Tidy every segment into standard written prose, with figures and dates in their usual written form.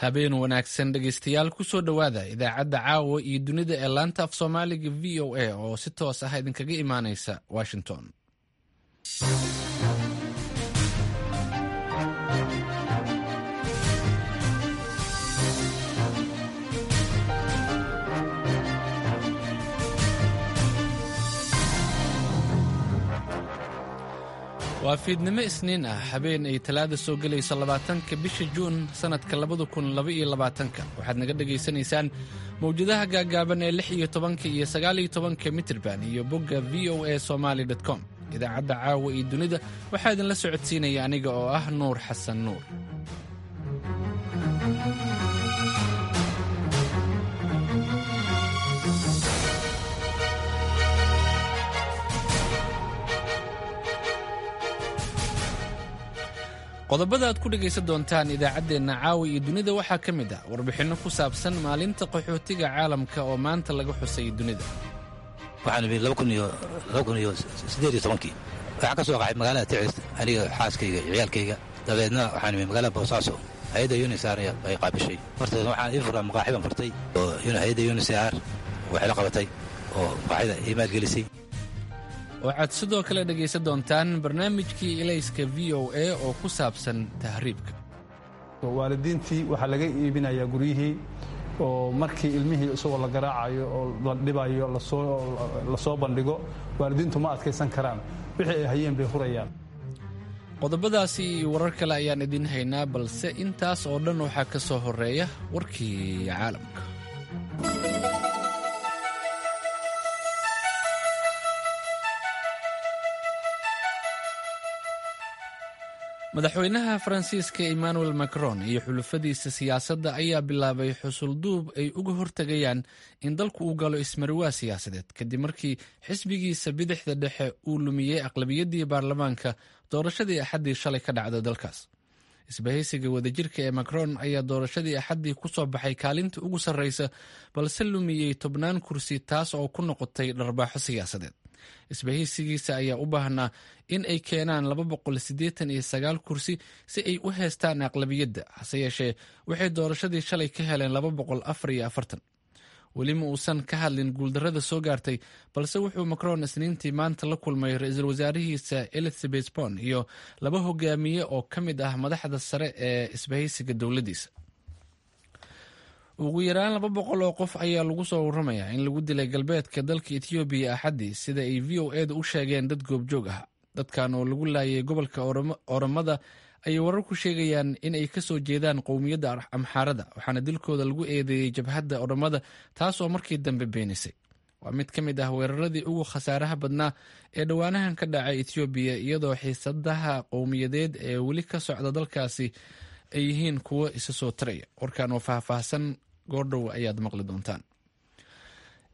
Habeen wanaagsan dhegaystayaal, kusoo dhowaada idaacadda caawa iyo dunida ee laanta af Soomaaliga VOA oo si toos ah idinkaga imaanaysa Washington. Waa fiidnimo Isniin ah, habeen ay Talaada soo gelayso 20-ka bisha Juun sannadka 2022-ka. Waxaad naga dhagaysanaysaan mawjadaha gaagaaban ee 16-ka iyo 19-ka mitirban iyo bogga voasomali.com. Idaacadda caawa iyo dunida waxaa idinla socodsiinaya aniga oo ah Nuur Xasan Nuur. Qodobada aad ku dhegaysan doontaan idaacaddeenna caawa iyo dunida waxaa ka mid ah warbixinno ku saabsan maalinta qaxootiga caalamka oo maanta laga xusay dunida. Waxaan imid 2018-kii. Waxaan ka soo qaxay magaalada Ticis, aniga, xaaskayga iyo ciyaalkayga. Dabeedna waxaan imid magaalada Boosaaso. Hay-adda UNHCR ay qaabishay. Horteed waxaan ii furaa maqaaxi baan furtay oo hay-adda UNHCR waxay la qabatay oo maqaaxida ii maalgelisay. Waxaad sidoo kale dhegaysan doontaan barnaamijkii Ilayska VOA oo ku saabsan tahriibka. Waalidiintii waxaa laga iibinayaa guryihii, oo markii ilmihii isagoo la garaacayo oo la dhibayo lasoo bandhigo, waalidiintu ma adkaysan karaan, wixii ay hayeen bay hurayaan. Qodobadaasi iyo warar kale ayaan idiin haynaa, balse intaas oo dhan waxaa ka soo horeeya warkii caalamka. Madaxweynaha Faransiiska Emmanuel Macron iyo xulufadiisa siyaasadda ayaa bilaabay xusulduub ay uga hortegayaan in dalku uu galo ismariwaa siyaasadeed, kadib markii xisbigiisa bidixda dhexe uu lumiyey aqlabiyaddii baarlamaanka doorashadii Axaddii shalay ka dhacda dalkaas. Isbahaysiga wadajirka ee Macron ayaa doorashadii Axaddii ku soo baxay kaalinta ugu sarreysa, balse lumiyey tobnaan kursi, taas oo ku noqotay dharbaaxo siyaasadeed. Isbahaysigiisa ayaa u baahnaa in ay keenaan 289 kursi si ay u heestaan aqlabiyadda, hase yeeshee waxay doorashadii shalay ka heleen 244. Weli ma uusan ka hadlin guuldarrada soo gaartay, balse wuxuu Macron Isniintii maanta la kulmay ra-iisul wasaarihiisa Elizabeth Bon iyo laba hogaamiye oo ka mid ah madaxda sare ee isbahaysiga dowladdiisa. Ugu yaraan 200 oo qof ayaa lagu soo waramayaa in lagu dilay galbeedka dalka Etoobiya Axaddii, sida ay VOA-da u sheegeen dad goobjoog ah. Dadkan oo lagu laayay gobolka Oromada ayay wararku sheegayaan in ay kasoo jeedaan qowmiyadda Amxaarada, waxaana dilkooda lagu eedeeyey jabhadda Oromada, taas oo markii dambe beenisay. Waa mid ka mid ah weeraradii ugu khasaaraha badnaa ee dhowaanahan ka dhacay Etoobiya, iyadoo xiisadaha qowmiyadeed ee weli ka socda dalkaasi ay yihiin kuwo isa soo taraya. Warkan oo faahfaahsan goordhow ayaad maqli doontaan.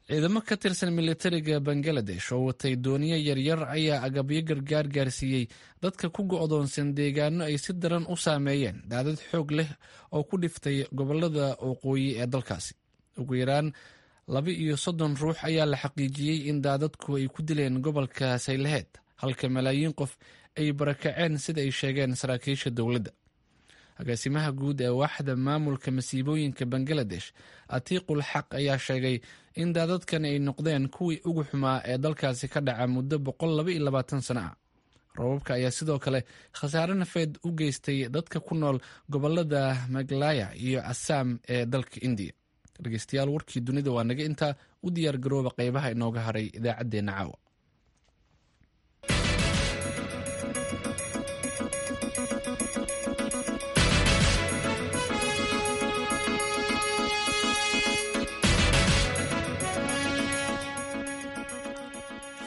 Ciidamo ka tirsan militariga Bangaladesh oo watay dooniyo yaryar ayaa agabyo gargaar gaarsiiyey dadka ku go'doonsan deegaano ay si daran u saameeyeen daadad xoog leh oo ku dhiftay gobolada waqooyi ee dalkaasi. Ugu yaraan 32 ruux ayaa la xaqiijiyey in daadadku ay ku dileen gobolka Saylaheed, halka malaayiin qof ay barakaceen, sida ay sheegeen saraakiisha dowladda. Agaasimaha guud ee waaxda maamulka masiibooyinka Bangaladesh, Atiiqul Xaq, ayaa sheegay in daadadkani ay noqdeen kuwii ugu xumaa ee dalkaasi ka dhaca muddo 122 sano ah. Roobabka ayaa sidoo kale khasaare nafeed u geystay dadka ku nool gobolada Maglaya iyo Assam ee dalka Indiya. Dhegeystayaal, warkii dunida waa naga intaa. U diyaar garooba qeybaha inooga haray idaacaddeenna caawa.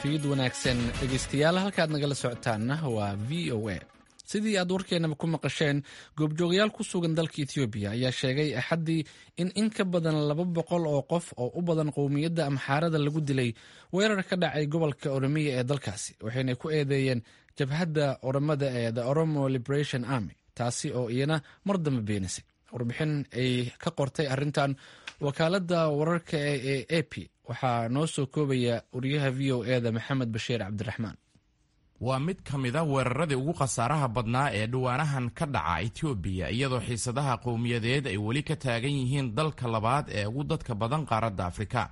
Fiid wanaagsan dhegeystayaal, halkaad nagala socotaanna waa VOA. Sidii aad warkeenaba ku maqasheen, goobjoogayaal ku sugan dalka Etoobiya ayaa sheegay Axaddii in in ka badan 200 oo qof oo u badan qowmiyadda Amxaarada lagu dilay weerar ka dhacay gobolka Oromiya ee dalkaasi, waxayna ku eedeeyeen jabhadda Oromada ee The Oromo Liberation Army, taasi oo iyana mar dambe beenisay. Warbixin ay ka qortay arrintan wakaaladda wararka ee AP waxaa noo soo koobaya wariyaha VOA-da Maxamed Bashiir Cabdiraxmaan. Waa mid ka mid a weeraradii ugu khasaaraha badnaa ee dhawaanahan ka dhaca Itoobiya, iyadoo xiisadaha qowmiyadeed ay weli ka taagan yihiin dalka labaad ee ugu dadka badan qaaradda Afrika.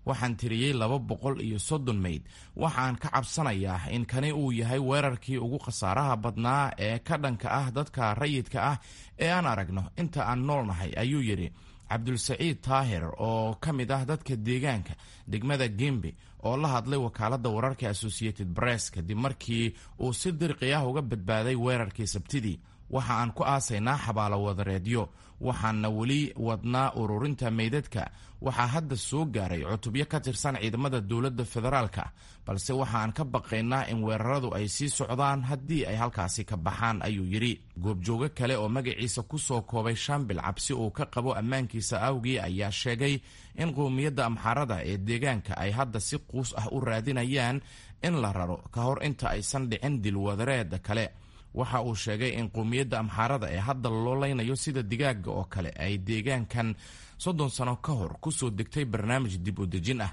Waxaan tiriyey 230 meyd. Waxaan ka cabsanayaa in kani uu yahay weerarkii ugu khasaaraha badnaa ee ka dhanka ah dadka rayidka ah ee aan aragno inta aan noolnahay, ayuu yidhi Cabdulsaciid Taahir oo ka mid ah dadka deegaanka degmada Gembe oo la hadlay wakaaladda wararka Associated Press kadib markii uu si dirqi ah uga badbaaday weerarkii Sabtidii. Waxa aan ku aasaynaa xabaalo wadareedyo, waxaana weli wadnaa ururinta meydadka. Waxaa hadda soo gaaray cutubyo ka tirsan ciidamada dowladda federaalka, balse waxa aan ka baqaynaa in weeraradu ay sii socdaan haddii ay halkaasi ka baxaan, ayuu yidhi. Goobjoogo kale oo magaciisa ku soo koobay Shambil cabsi uu ka qabo ammaankiisa awgii ayaa sheegay in qowmiyadda Amxaarada ee deegaanka ay hadda si quus ah u raadinayaan in la raro ka hor inta aysan dhicin dilwadareeda kale. Waxa uu sheegay in qowmiyadda Amxaarada ee hadda loo leynayo sida digaaga oo kale ay deegaankan 30 sano ka hor kusoo degtay barnaamij dib u dejin ah.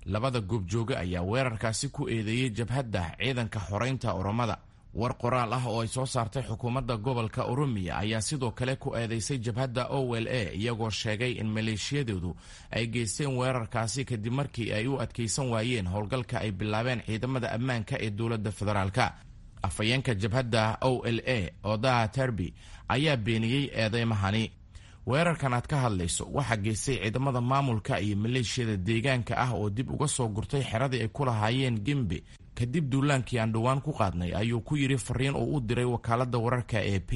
Labada goobjooge ayaa weerarkaasi ku eedeeyey jabhadda ciidanka xoreynta Oromada. War qoraal ah oo ay soo saartay xukuumadda gobolka Oromiya ayaa sidoo kale ku eedeysay jabhadda OLA, iyagoo sheegay in maleeshiyadoodu ay geysteen weerarkaasi kadib markii ay u adkaysan waayeen howlgalka ay bilaabeen ciidamada ammaanka ee dowladda federaalka. Afhayeenka jabhadda OLA Odaa Terbi ayaa beeniyey eedeymahani. Weerarkan aad ka hadlayso waxaa geystay ciidamada maamulka iyo maleeshiyada deegaanka ah oo dib uga soo gurtay xeradii ay ku lahaayeen Gembe kadib duulaankii aan dhowaan ku qaadnay, ayuu ku yidhi fariin uu u diray wakaaladda wararka ee P.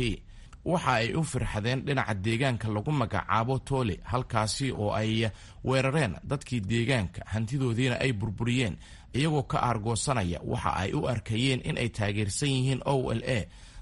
Waxa ay u firxadeen dhinaca deegaanka lagu magacaabo Toole, halkaasi oo ay weerareen dadkii deegaanka, hantidoodiina ay burburiyeen, iyagoo ka aargoosanaya waxa ay u arkayeen in ay taageersan yihiin OLA.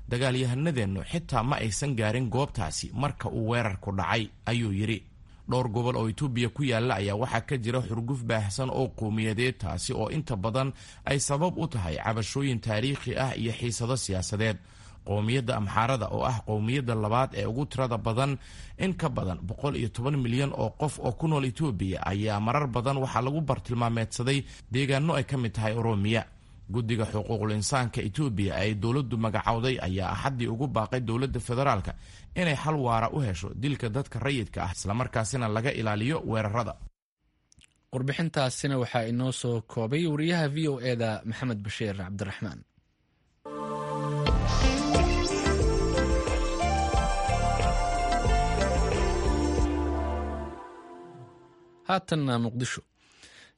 Dagaalyahanadeennu xitaa ma aysan gaarin goobtaasi marka uu weerarku dhacay, ayuu yidhi. Dhowr gobol oo Itoobiya ku yaalla ayaa waxaa ka jira xurguf baahsan oo qowmiyadeed, taasi oo inta badan ay sabab u tahay cabashooyin taariikhi ah iyo xiisado siyaasadeed. Qowmiyadda Amxaarada oo ah qowmiyadda labaad ee ugu tirada badan, in ka badan 110 milyan oo qof oo ku nool Itoobiya, ayaa marar badan waxaa lagu bartilmaameedsaday deegaano ay ka mid tahay Oroomiya. Guddiga xuquuqul insaanka Itoobiya ay dowladdu magacowday ayaa Axaddii ugu baaqay dowladda federaalka inay xal waara u hesho dilka dadka rayidka ah, islamarkaasina laga ilaaliyo weerarada. Warbixintaasina waxaa inoo soo koobay wariyaha VOA-da Maxamed Bashiir Cabdiraxmaan. Haatanna Muqdisho.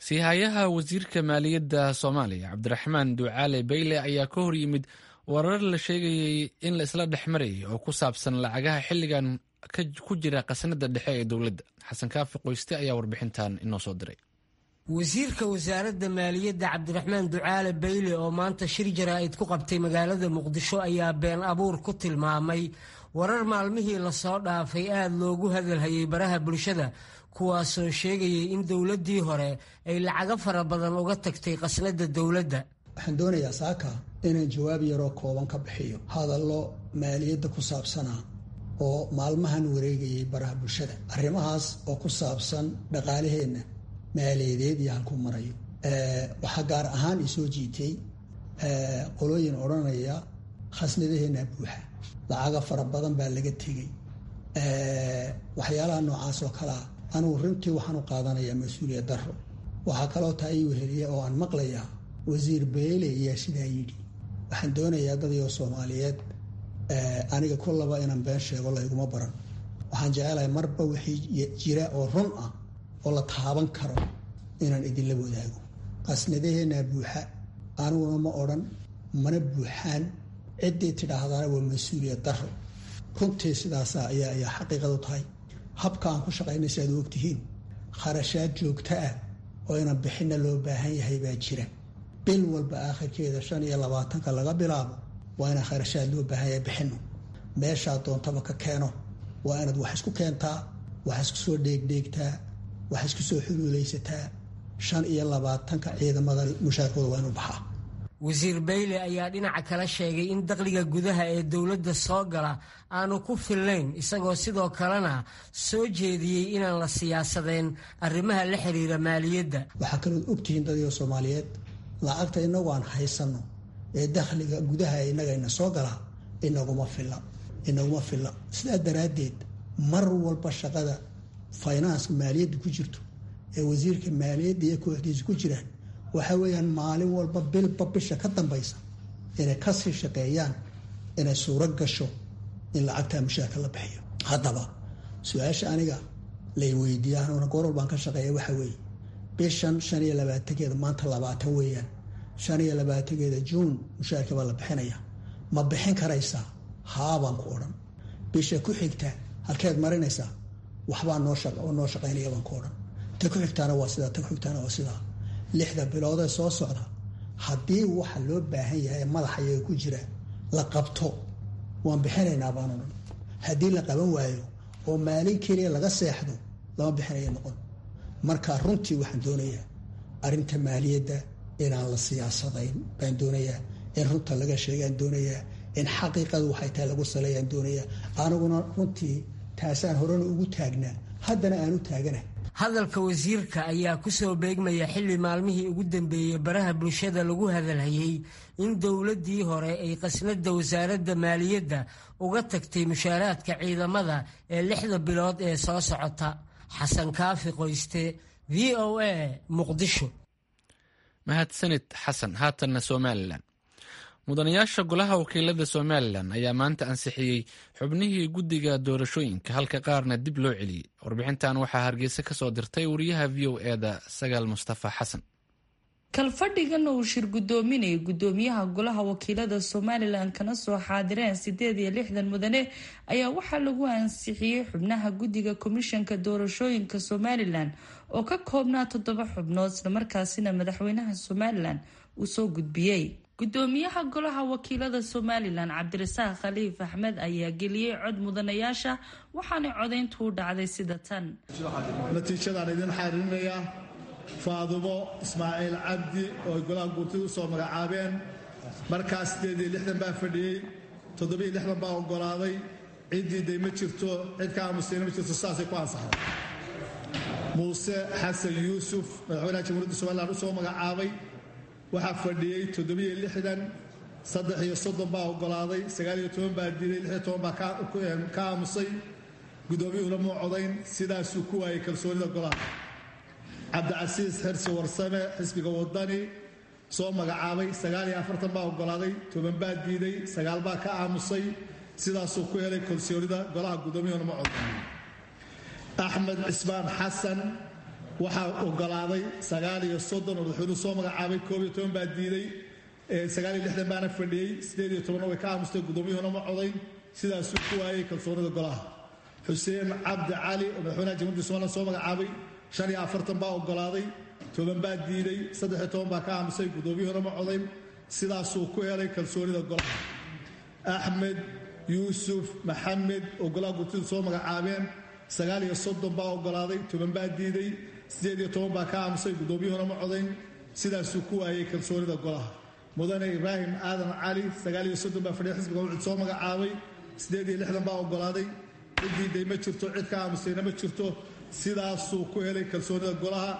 Siihayaha wasiirka maaliyadda Soomaaliya Cabdiraxmaan Ducaale Beyle ayaa ka hor yimid warar la sheegayey in la isla dhex marayay oo ku saabsan lacagaha xilligan ku jira khasnada dhexe ee dowladda. Xasan Kaafi Qoyste ayaa warbixintan inoo soo diray. Wasiirka wasaaradda maaliyadda Cabdiraxmaan Ducaale Beyle oo maanta shir jaraa'id ku qabtay magaalada Muqdisho ayaa been abuur ku tilmaamay warar maalmihii lasoo dhaafay aada loogu hadalhayay baraha bulshada, kuwaasoo sheegayay in dowladdii hore ay lacago fara badan uga tagtay khasnadda dowladda. Waxaan doonayaa saaka inaan jawaab yaroo kooban ka bixiyo hadallo maaliyadda ku saabsanaa oo maalmahan wareegayay baraha bulshada, arrimahaas oo ku saabsan dhaqaalaheenna maaliyadeed iyo halkuu marayo. Waxaa gaar ahaan isoo jiitay qolooyin odhanaya khasnadaheenna buuxa, lacago fara badan baa laga tegey, waxyaalaha noocaas oo kalea. Anugu runtii waxaan u qaadanayaa mas-uuliyad darro. Waxaa kaloo taa ii weheliya oo aan maqlayaa wasiir Beyle ayaa sidaa yidhi. Waxaan doonayaa dadyo Soomaaliyeed, aniga kullaba inaan been sheego layguma baran. Waxaan jecelahay marba wixii jira oo run ah oo la taaban karo inaan idinla wadaago. Qasnadaheennaa buuxa aniguna ma odhan, mana buuxaan. Ciddii tidhaahdaana waa mas-uuliyad darro. Runtii sidaasa ayaa xaqiiqadu tahay. Habka aan ku shaqaynay si aad u ogtihiin, kharashaad joogto ah oo inaan bixinna loo baahan yahay baa jira. Bil walba aakhirkeeda 25-ka laga bilaabo waa inaan kharashaad loo baahan yahay bixinno. Meeshaa doontaba ka keeno, waa inaad wax isku keentaa, wax isku soo dheegdheegtaa, wax isku soo xuluulaysataa. 25-ka ciidamada mushaarkooda waa inuu baxaa. Wasiir Beyle ayaa dhinaca kale sheegay in dakhliga gudaha ee dowladda soo gala aanu ku fillayn, isagoo sidoo kalena soo jeediyey inaan la siyaasadeen arrimaha la xiriira maaliyadda. Waxaa kalood ogtihiin dadyo Soomaaliyeed, lacagta innagu aan haysanno Ee dakhliga gudaha innagayna soo galaa inaguma filla, inaguma filla. Sidaa daraaddeed mar walba shaqada finance maaliyadda ku jirto ee wasiirka maaliyadda iyo kooxdiisa ku jiraan waxa weeyaan maalin walba, bilba bisha ka dambaysa, inay kasii shaqeeyaan inay suuro gasho in lacagtaa mushaarka la bixiyo. Haddaba su-aasha aniga lay weydiiya, anuna goor walbaan ka shaqeeya, waxa weeye bishan 25-keeda, maanta 20 weeyaan, 25-keeda Juun mushaarka baa la bixinaya, ma bixin karaysaa? Haabaan ku odhan. Bisha ku xigta halkeed marinaysaa? Waxbaa noo shaqaynaya baan ku odhan. Ta ku xigtaana waa sidaa, ta ku xigtaana waa sidaa. 6da biloodee soo socda, haddii waxa loo baahan yahay ee madaxa iyaga ku jira la qabto, waan bixinaynaa baan odhan. Haddii la qaban waayo oo maalin keliya laga seexdo, lama bixinaya noqon. Marka runtii waxaan doonayaa arrinta maaliyadda inaan la siyaasadayn baan doonayaa, in runta laga sheegaan doonayaa, in xaqiiqadu waxay tahay lagu saleeyaan doonayaa. Aniguna runtii taasaan horena ugu taagnaa, haddana aan u taagana. Hadalka wasiirka ayaa ku soo beegmaya xilli maalmihii ugu dambeeyey baraha bulshada lagu hadalhayey in dowladdii hore ay qasnada wasaaradda maaliyadda uga tagtay mushaaraadka ciidamada ee 6da bilood ee soo socota. Xasan Kaafi Qoyste, VOA, Muqdisho. Mahadsanid, Xasan. Haatanna Somalilan. Mudanayaasha golaha wakiilada Somalilan ayaa maanta ansixiyey xubnihii guddiga doorashooyinka, halka qaarna dib loo celiyey. Warbixintan waxaa Hargeysa ka soo dirtay wariyaha VOA-da, Sagaal Mustafa Xasan. Kalfadhigan uu shir guddoominayay guddoomiyaha golaha wakiilada Somalilan, kana soo xaadireen 68 mudane, ayaa waxaa lagu ansixiyey xubnaha guddiga komishanka doorashooyinka Somalilan oo ka koobnaa toddoba xubnood, islamarkaasina madaxweynaha Somalilan uu soo gudbiyey. Gudoomiyaha golaha wakiilada Somalilan, Cabdirasaaq Khaliif Axmed, ayaa geliyey cod mudanayaasha, waxaana codayntu u dhacday sida tan. Natiijadaan idin xaririnayaa: Faadumo Ismaaciil Cabdi oo ay golaha guurtida u soo magacaabeen, markaas 68 baa fadhiyey, 67 baa oggolaaday, cid diiday ma jirto, cid ka aamustayna ma jirto, sidaasay ku ansaxday. Muuse Xasan Yuusuf, madaxweynaha Jamhuuriyadda Somalilan u soo magacaabay, waxaa fadhiyey 67, 33 baa oggolaaday, 19 baa diiday, 16 baa ka aamusay, guddoomiyuhuna muu codayn, sidaasuu ku waayey kalsoonida golaha. Cabdicasiis Xirsi Warsame, xisbiga Wadani soo magacaabay, 49 baa oggolaaday, 10 baa diiday, 9 baa ka aamusay, sidaasuu ku helay kalsoonida golaha, guddoomiyuhuna ma codayn. Axmed Cismaan Xasan waxaa oggolaaday 39 oo madaxweynuhu soo magacaabay, 11 baa diiday, 69 baana fadhiyey, 18-na way ka aamustay, guddoomiyuhuna ma codayn, sidaasuu ku waayey kalsoonida golaha. Xuseen Cabdi Cali oo madaxweynaha Jamhuuriyadda Somalilan soo magacaabay, 45 baa oggolaaday, 10 baa diiday, 13 baa ka aamusay, guddoomiyuhuna ma codayn, sidaasuu ku helay kalsoonida golaha. Axmed Yuusuf Maxamed oo golaha gurtidu soo magacaabeen, 39 baa oggolaaday, 10 baa diiday, 18 baa ka aamusay, guddoomiyuhuna ma codayn, sidaasuu ku waayey kalsoonida golaha. Mudane Ibraahim Aadan Cali, 39 baa fadhiya, xisbiga Wucud soo magacaabay, 68 baa oggolaaday, cid diiday ma jirto, cid ka aamustayna ma jirto, sidaasuu ku helay kalsoonida golaha.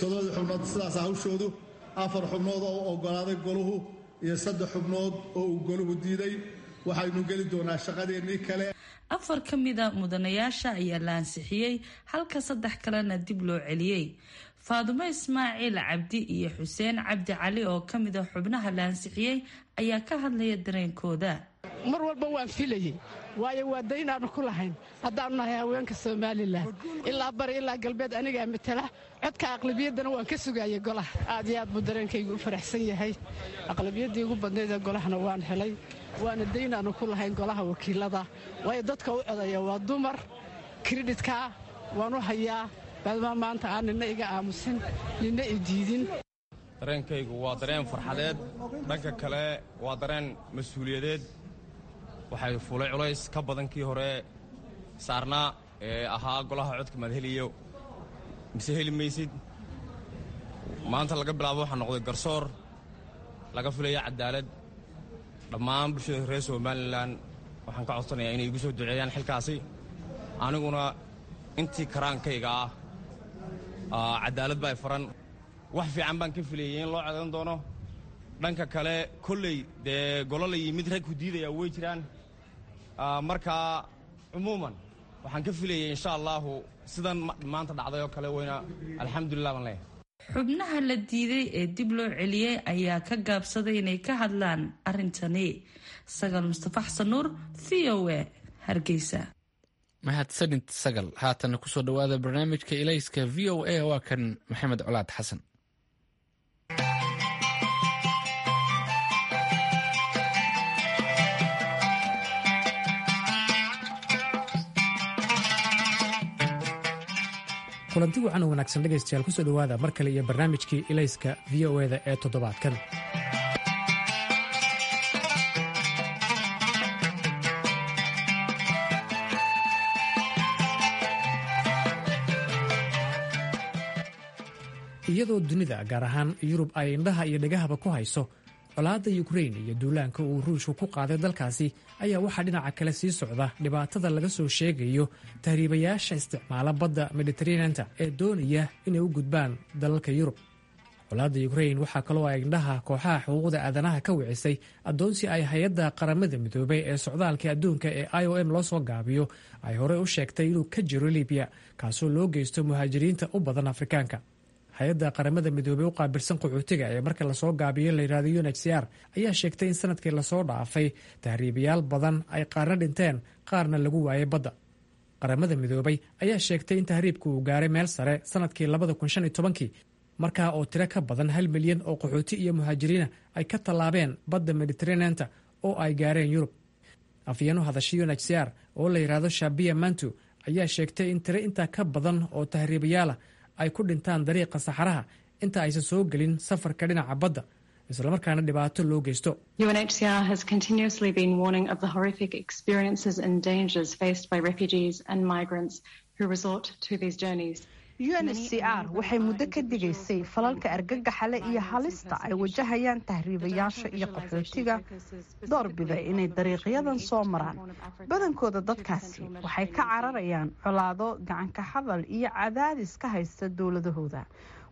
Toddobadii xubnood sidaas hawshoodu: afar xubnood oo u oggolaaday goluhu iyo saddex xubnood oo uu goluhu diiday. Waxaynu geli doonaa shaqadeennii kale. Afar ka mida mudanayaasha ayaa la ansixiyey, halka saddex kalena dib loo celiyey. Faadumo Ismaaciil Cabdi iyo Xuseen Cabdi Cali oo ka mida xubnaha la ansixiyey ayaa ka hadlaya dareenkooda. Mar walba waan filayey, waayo waa daynaannu ku lahayn haddaannu nahay haweenka Somalilan, ilaa bari ilaa galbeed anigaa matala. Codka aqlabiyaddana waan ka sugaayay golaha. Aad iyo aad buu dareenkaygu u faraxsan yahay. Aqlabiyaddii ugu badnayd ee golahana waan helay, waana daynaannu ku lahayn golaha wakiilada, waayo dadka u codaya waa dumar. Credit-kaa waan u hayaa, maadaama maanta aan nina iga aamusin, nina i diidin. Dareenkaygu waa dareen farxadeed, dhanka kale waa dareen mas-uuliyadeed. Waxay fuulay culays ka badan kii hore saarnaa ee ahaa golaha codka maad heliyo mise heli maysid. Maanta laga bilaabo waxaa noqday garsoor laga filaya cadaalad. Dhammaan bulshada reer Somalilan waxaan ka codsanayaa inay igu soo duceeyaan xilkaasi, aniguna intii karaankayga ah cadaalad baa faran. Wax fiican baan ka filayay in loo codayn doono. Dhanka kale kolley dee golo la yimid rag ku diidaya way jiraan. Markaa cumuuman waxaan ka filayay insha allaahu sidan maanta dhacday oo kale weyna, alxamdulilah baan leeyahay. Xubnaha la diiday ee dib loo celiyey ayaa ka gaabsaday inay ka hadlaan arrintani. Sagal Mustafa Xasan Nuur, V O A, Hargeysa. Mahadsanid Sagal. Haatana kusoo dhowaada barnaamijka Ilayska V O A, waa kan Maxamed Colaad Xasan. Kulanti wacan oo wanaagsan dhegaystayaal, kusoo dhowaada mar kale iyo barnaamijkii Ilayska V O eda ee toddobaadkan. Iyadoo dunida, gaar ahaan Yurub, ay indhaha iyo dhegahaba ku hayso colaadda Yukrain iyo duulaanka uu Ruushku ku qaaday dalkaasi, ayaa waxaa dhinaca kale sii socda dhibaatada laga soo sheegayo tahriibayaasha isticmaala badda Mediteraneanta ee doonaya inay u gudbaan dalalka Yurub. Colaadda Yukrain waxaa kaloo ay indhaha kooxaha xuquuqda aadanaha ka wicisay addoonsi ay hay-adda Qaramada Midoobay ee socdaalka adduunka ee IOM loo soo gaabiyo ay horey u sheegtay inuu ka jiro Libiya, kaasoo loo geysto muhaajiriinta u badan Afrikaanka. Hay-adda Qaramada Midoobey u qaabilsan qaxootiga ee marka lasoo gaabiyo layidhahdo UNHCR ayaa sheegtay in sanadkii lasoo dhaafay tahriibayaal badan ay qaarna dhinteen, qaarna lagu waayay badda. Qaramada Midoobay ayaa sheegtay in tahriibku uu gaaray meel sare sanadkii 2015-kii, markaa oo tiro ka badan 1 milyan oo qaxooti iyo muhaajiriina ay ka tallaabeen badda Mediteraneanta oo ay gaareen Yurub. Afyeeno hadashay UNHCR oo la yidhaahdo Shabia Mantu ayaa sheegtay in tiro intaa ka badan oo tahriibayaala ay ku dhintaan dariiqa saxaraha inta aysan soo gelin safarka dhinaca badda, islamarkaana dhibaato loo geysto. UNHCR has continuously been warning of the horrific experiences and dangers faced by refugees and migrants who resort to these journeys. UNHCR waxay muddo ka digaysay falalka argagaxa leh iyo halista ay wajahayaan tahriibayaasha iyo qaxootiga doorbida inay dariiqyadan soo maraan. Badankooda dadkaasi waxay ka cararayaan colaado, gacanka hadal iyo cadaadis ka haysta dowladahooda,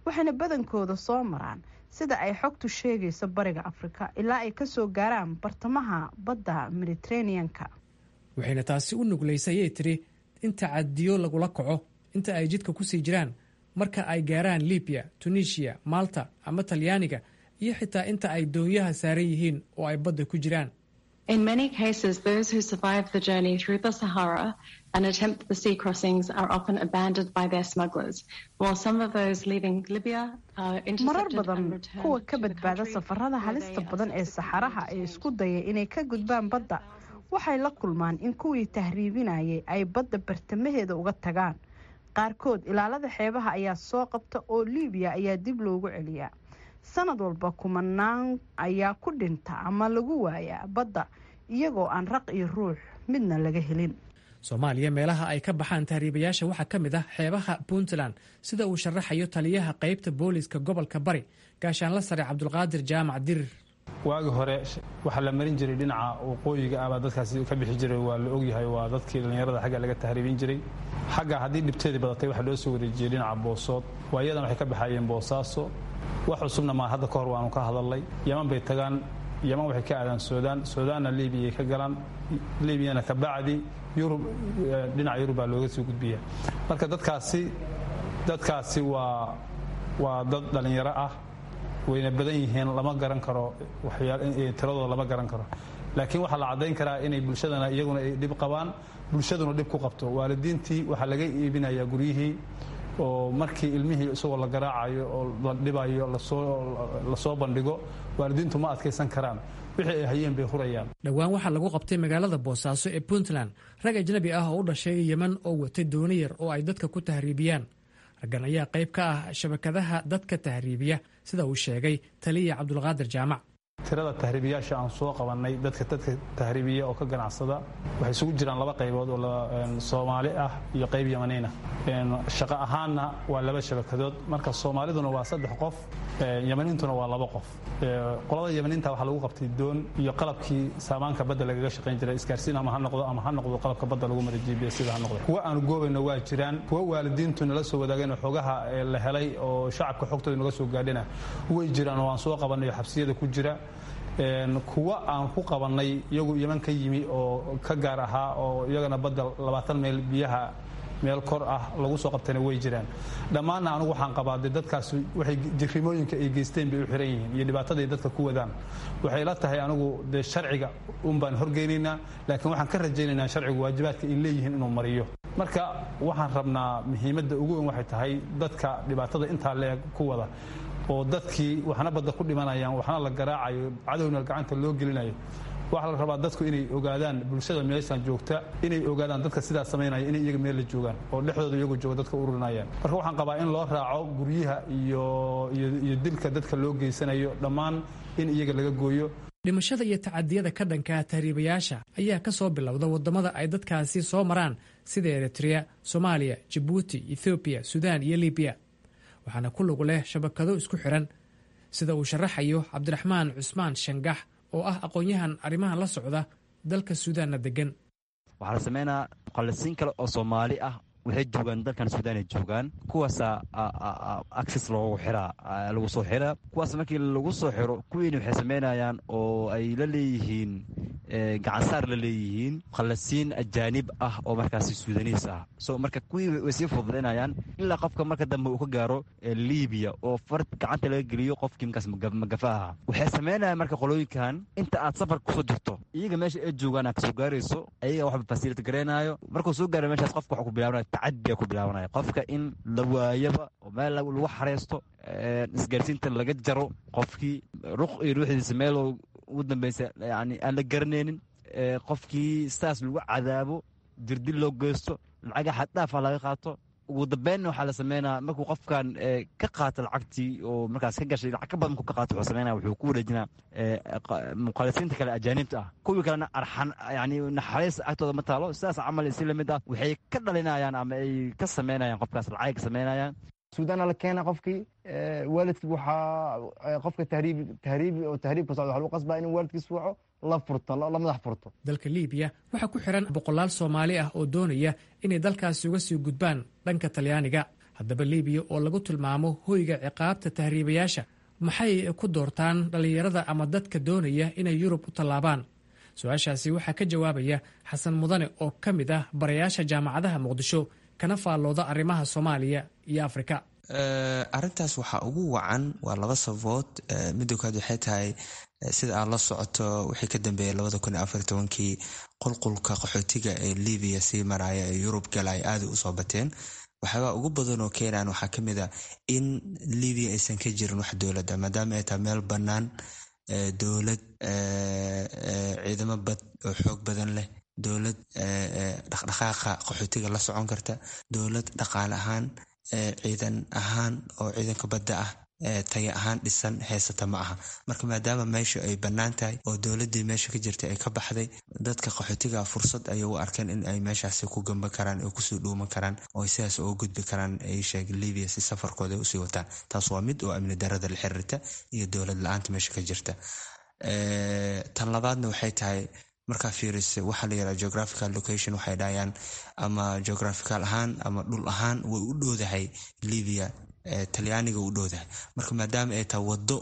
waxayna badankooda soo maraan, sida ay xogtu sheegayso, bariga Afrika ilaa ay kasoo gaaraan bartamaha badda Mediteraneanka. Waxayna taasi u nuglaysay, ayay tiri, in tacadiyo lagula kaco inta ay jidka ku sii jiraan, marka ay gaaraan Libiya, Tunisiya, Malta ama Talyaaniga, iyo xitaa inta ay doonyaha saaran yihiin oo ay badda ku jiraan. In many cases, those who survive the journey through the Sahara and attempt the sea crossings are often abandoned by their smugglers, while some of those leaving Libya are Marar intercepted and badan, returned kuwa ka to the badbaada country safarada where halista they are badan ee saxaraha ee isku daya inay ka gudbaan badda waxay la kulmaan in kuwii tahriibinayay ay badda bartamaheeda uga tagaan. Qaarkood ilaalada xeebaha ayaa soo qabta oo Liibiya ayaa dib loogu celiyaa. Sanad walba kumanaan ayaa ku dhinta ama lagu waayaa badda, iyagoo aan raq iyo ruux midna laga helin. Soomaaliya meelaha ay ka baxaan tahriibayaasha waxaa ka mid ah xeebaha Puntland, sida uu sharaxayo taliyaha qaybta booliiska gobolka Bari, gaashaanla sare Cabdulqaadir Jaamac Dirir. Waagi hore waxaa la marin jiray dhinaca waqooyiga ah baa dadkaasi ka bixi jiray, waa la ogyahay, waa dadkii dhallinyarada xagga laga tahriibin jiray. Xagga haddii dhibteedii badatay, waxaa loo soo wareejiyey dhinaca Boosood. Waayadan waxay ka baxayeen Boosaaso. Wax cusubna maa, hadda ka hor waanu ka hadalnay. Yaman bay tagaan, Yaman waxay ka aadaan Suudaan, Suudaanna Liibiyay ka galaan, Liibiyana ka bacdi Yurub, dhinaca Yurub baa looga soo gudbiya. Marka dadkaasi waa dad dhallinyaro ah, wayna badan yihiin, lama garan karo tiradooda, lama garan karo, laakiin waxaa la caddayn karaa inay bulshadana iyaguna ay dhib qabaan, bulshaduna dhib ku qabto. Waalidiintii waxaa laga iibinayaa guryihii oo markii ilmihii isagoo la garaacayo oo la dhibayo lasoo bandhigo, waalidiintu ma adkaysan karaan, wixii ay hayeen bay hurayaan. Dhowaan waxaa lagu qabtay magaalada Boosaaso ee Puntland rag ajnabi ah oo u dhashay Yeman oo watay dooni yar oo ay dadka ku tahriibiyaan. Raggan ayaa qayb ka ah shabakadaha dadka tahriibiya, sida uu sheegay taliya Cabdulqaadir Jaamac. Tirada tahriibiyaasha aan soo qabannay, dadka tahriibiya oo ka ganacsada, waxay isugu jiraan laba qaybood oo Soomaali ah iyo qayb Yamaniin ah. Shaqo ahaanna waa laba shabakadood. Marka Soomaaliduna waa saddex qof, Yamaniintuna waa laba qof. Qolada Yamaniinta waxaa lagu qabtay doon iyo qalabkii saamaanka badda lagaga shaqayn jiray, isgaarsiin ama ha noqdo ama ha noqdo qalabka badda lagu maray GPS sida ha noqdo. Kuwa aanu goobayno waa jiraan, kuwa waalidiintu nala soo wadaageen oo xogaha la helay oo shacabka xogtooda naga soo gaadhina way jiraan oo aan soo qabanayo xabsiyada ku jira. Kuwa aan ku qabannay iyagu Yeman ka yimi oo ka gaar ahaa oo iyagana badda 20 mayl biyaha meel kor ah lagu soo qabtayna way jiraan. Dhammaanna anugu waxaan qabaa dee dadkaas waxay jirrimooyinka ay geysteen bay u xiran yihiin iyo dhibaataday dadka ku wadaan. Waxay la tahay anigu dee sharciga un baan horgeynaynaa, laakiin waxaan ka rajaynaynaa sharcigu waajibaadka ay leeyihiin inuu mariyo. Marka waxaan rabnaa muhiimadda ugu weyn waxay tahay dadka dhibaatada intaa leeg ku wada oo dadkii waxna badda ku dhimanayaan, waxna la garaacayo, cadowna gacanta loo gelinayo. Waxaa la rabaa dadku inay ogaadaan, bulshada meeshan joogta inay ogaadaan dadka sidaas samaynaya inay iyaga meel la joogaan oo dhexdooda iyagu jooga dadka ururinayaan. Marka waxaan qabaa in loo raaco guryaha iyo dilka dadka loo geysanayo dhammaan in iyaga laga gooyo. Dhimashada iyo tacadiyada ka dhanka tahriibayaasha ayaa ka soo bilowda waddamada ay dadkaasi soo maraan sida Eritrea, Soomaaliya, Jabuuti, Ethoobiya, Suudaan iyo Libiya, waxaana ku lug leh shabakado isku xiran, sida uu sharaxayo Cabdiraxmaan Cusmaan Shangax oo ah aqoon-yahan arrimahan la socda, dalka Suudaanna degan. Waxaa la sameynaa muqallisiin kale oo Soomaali ah, waxay joogaan dalkan Suudaan ay joogaan. Kuwaasaa access loogu xiraa, lagu soo xiraa. Kuwaas markii lagu soo xiro, kuwiina waxay sameynayaan oo ay la leeyihiin gacansaar la leeyihiin muqallisiin ajaanib ah oo markaasi Suudaniis ah. So marka kuwii way sii fududaynayaan ilaa qofka marka dambe uu ka gaaro Libiya oo far gacanta laga geliyo qofkii markaas magafa ahaa. Waxay sameynayaan marka qolooyinkan inta aad safar kusoo jirto, iyaga meesha ay joogaan aad kasoo gaarayso, ayaga waxba facility gareynayo. Markuu soo gaaro meeshaas, qofka waxa ku bilaabanaya tacadiya ku bilaabanaya, qofka in la waayaba oo meel lagu xareysto, isgaarsiinta laga jaro, qofkii ruq iyo ruuxdiisa meel ugu dambeysa yani aan la garanaynin, qofkii saas lagu cadaabo, dirdil loo geysto, lacaga xaddhaafa laga qaato. Ugu dambeynna waxaa la sameynaa markuu qofkan ka qaato lacagtii oo markaas ka gashay, lacag ka badan markuu ka qaato, wuxuu sameynaya wuxuu ku wareejinaa muqallisiinta kale ajaanibta ah. Kuwii kalena arxan yani naxariis agtooda ma taalo. Sidaas camal si lamid ah waxay ka dhalinayaan ama ay ka sameynayaan qofkaas lacag ka sameynayaan. Suudaana la keena qofkii, waalidkii waxaa qofka tahriib tahriib oo tahriibka socda waxaa lagu qasbaa inuu waalidkiis waco, la furto, la madax furto. Dalka Liibiya waxaa ku xiran boqolaal Soomaali ah oo doonaya inay dalkaasi uga sii gudbaan dhanka Talyaaniga. Haddaba Liibiya oo lagu tilmaamo hoyga ciqaabta tahriibayaasha, maxay ku doortaan dhallinyarada ama dadka doonaya inay Yurub u tallaabaan? Su-aashaasi waxaa ka jawaabaya Xasan Mudane oo ka mid ah barayaasha jaamacadaha Muqdisho kana faallooda arrimaha Soomaaliya iyo Afrika. Arrintaas waxaa ugu wacan waa laba sababood. Midda koowaad waxay tahay, sida aad la socoto, wixii ka dambeeyay 2014-kii qulqulka qaxootiga ee Libiya sii maraya ee Yurub galaya aaday usoo bateen. Waxyaabaa ugu badan oo keenaan waxaa kamid a in Libiya aysan ka jirin wax dowladda, maadaama ay tahay meel bannaan, dowlad ciidamo bad oo xoog badan leh, dowlad dhaqdhaqaaqa qaxootiga la socon karta, dowlad dhaqaale ahaan, ciidan ahaan oo ciidanka badda ah taya ahaan dhisan heysata ma aha. Marka maadaama meesha ay bannaan tahay oo dowladdii meesha ka jirtay ay ka baxday, dadka qaxootiga fursad ayay u arkeen in ay meeshaasi ku gamban karaan oo kusii dhuuman karaan oo ay sidaas uga gudbi karaan ay sheeg Libiya si safarkooda ay usii wataan. Taas waa mid oo amni darada la xiriirta iyo dowlad la-aanta meesha ka jirta. Tan labaadna waxay tahay markaa fiirisa waxaa la yiraha geographical location, waxay dhahayaan ama geographical ahaan ama dhul ahaan way u dhowdahay Libya, Talyaaniga u dhowdahay. Marka maadaama ay tahay wado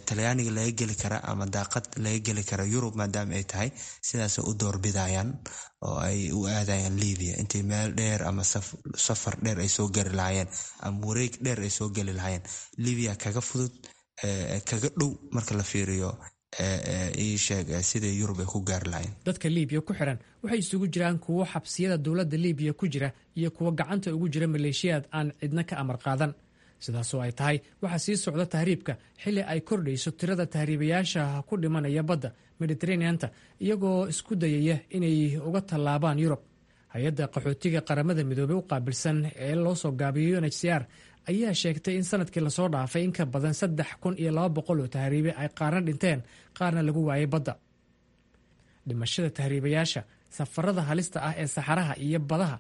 Talyaaniga laga geli kara ama daaqad laga geli kara Yurub, maadaama ay tahay, sidaasay u doorbidayaan oo ay u aadayaan Libya intay meel dheer ama safar dheer ay soo gari lahaayeen ama wareeg dheer ay soo geli lahaayeen. Libya kaga fudud, kaga dhow marka la fiiriyo sheeg sida Yurub ay ku gaari lahayn. Dadka Liibiya ku xiran waxay isugu jiraan kuwo xabsiyada dowladda Liibiya ku jira iyo kuwo gacanta ugu jira maleeshiyaad aan cidna ka amar qaadan. Sidaasoo ay tahay, waxaa sii socda tahriibka xilli ay kordhayso tirada tahriibayaasha ku dhimanaya badda Mediteraneanta iyagoo isku dayaya inay uga tallaabaan Yurub. Hay-adda qaxootiga Qaramada Midoobey u qaabilsan ee loo soo gaabiyo UNHCR ayaa sheegtay in sanadkii lasoo dhaafay in ka badan 3200 oo tahriibe ay qaarna dhinteen, qaarna lagu waayay badda. Dhimashada tahriibayaasha, safarada halista ah ee saxaraha iyo badaha,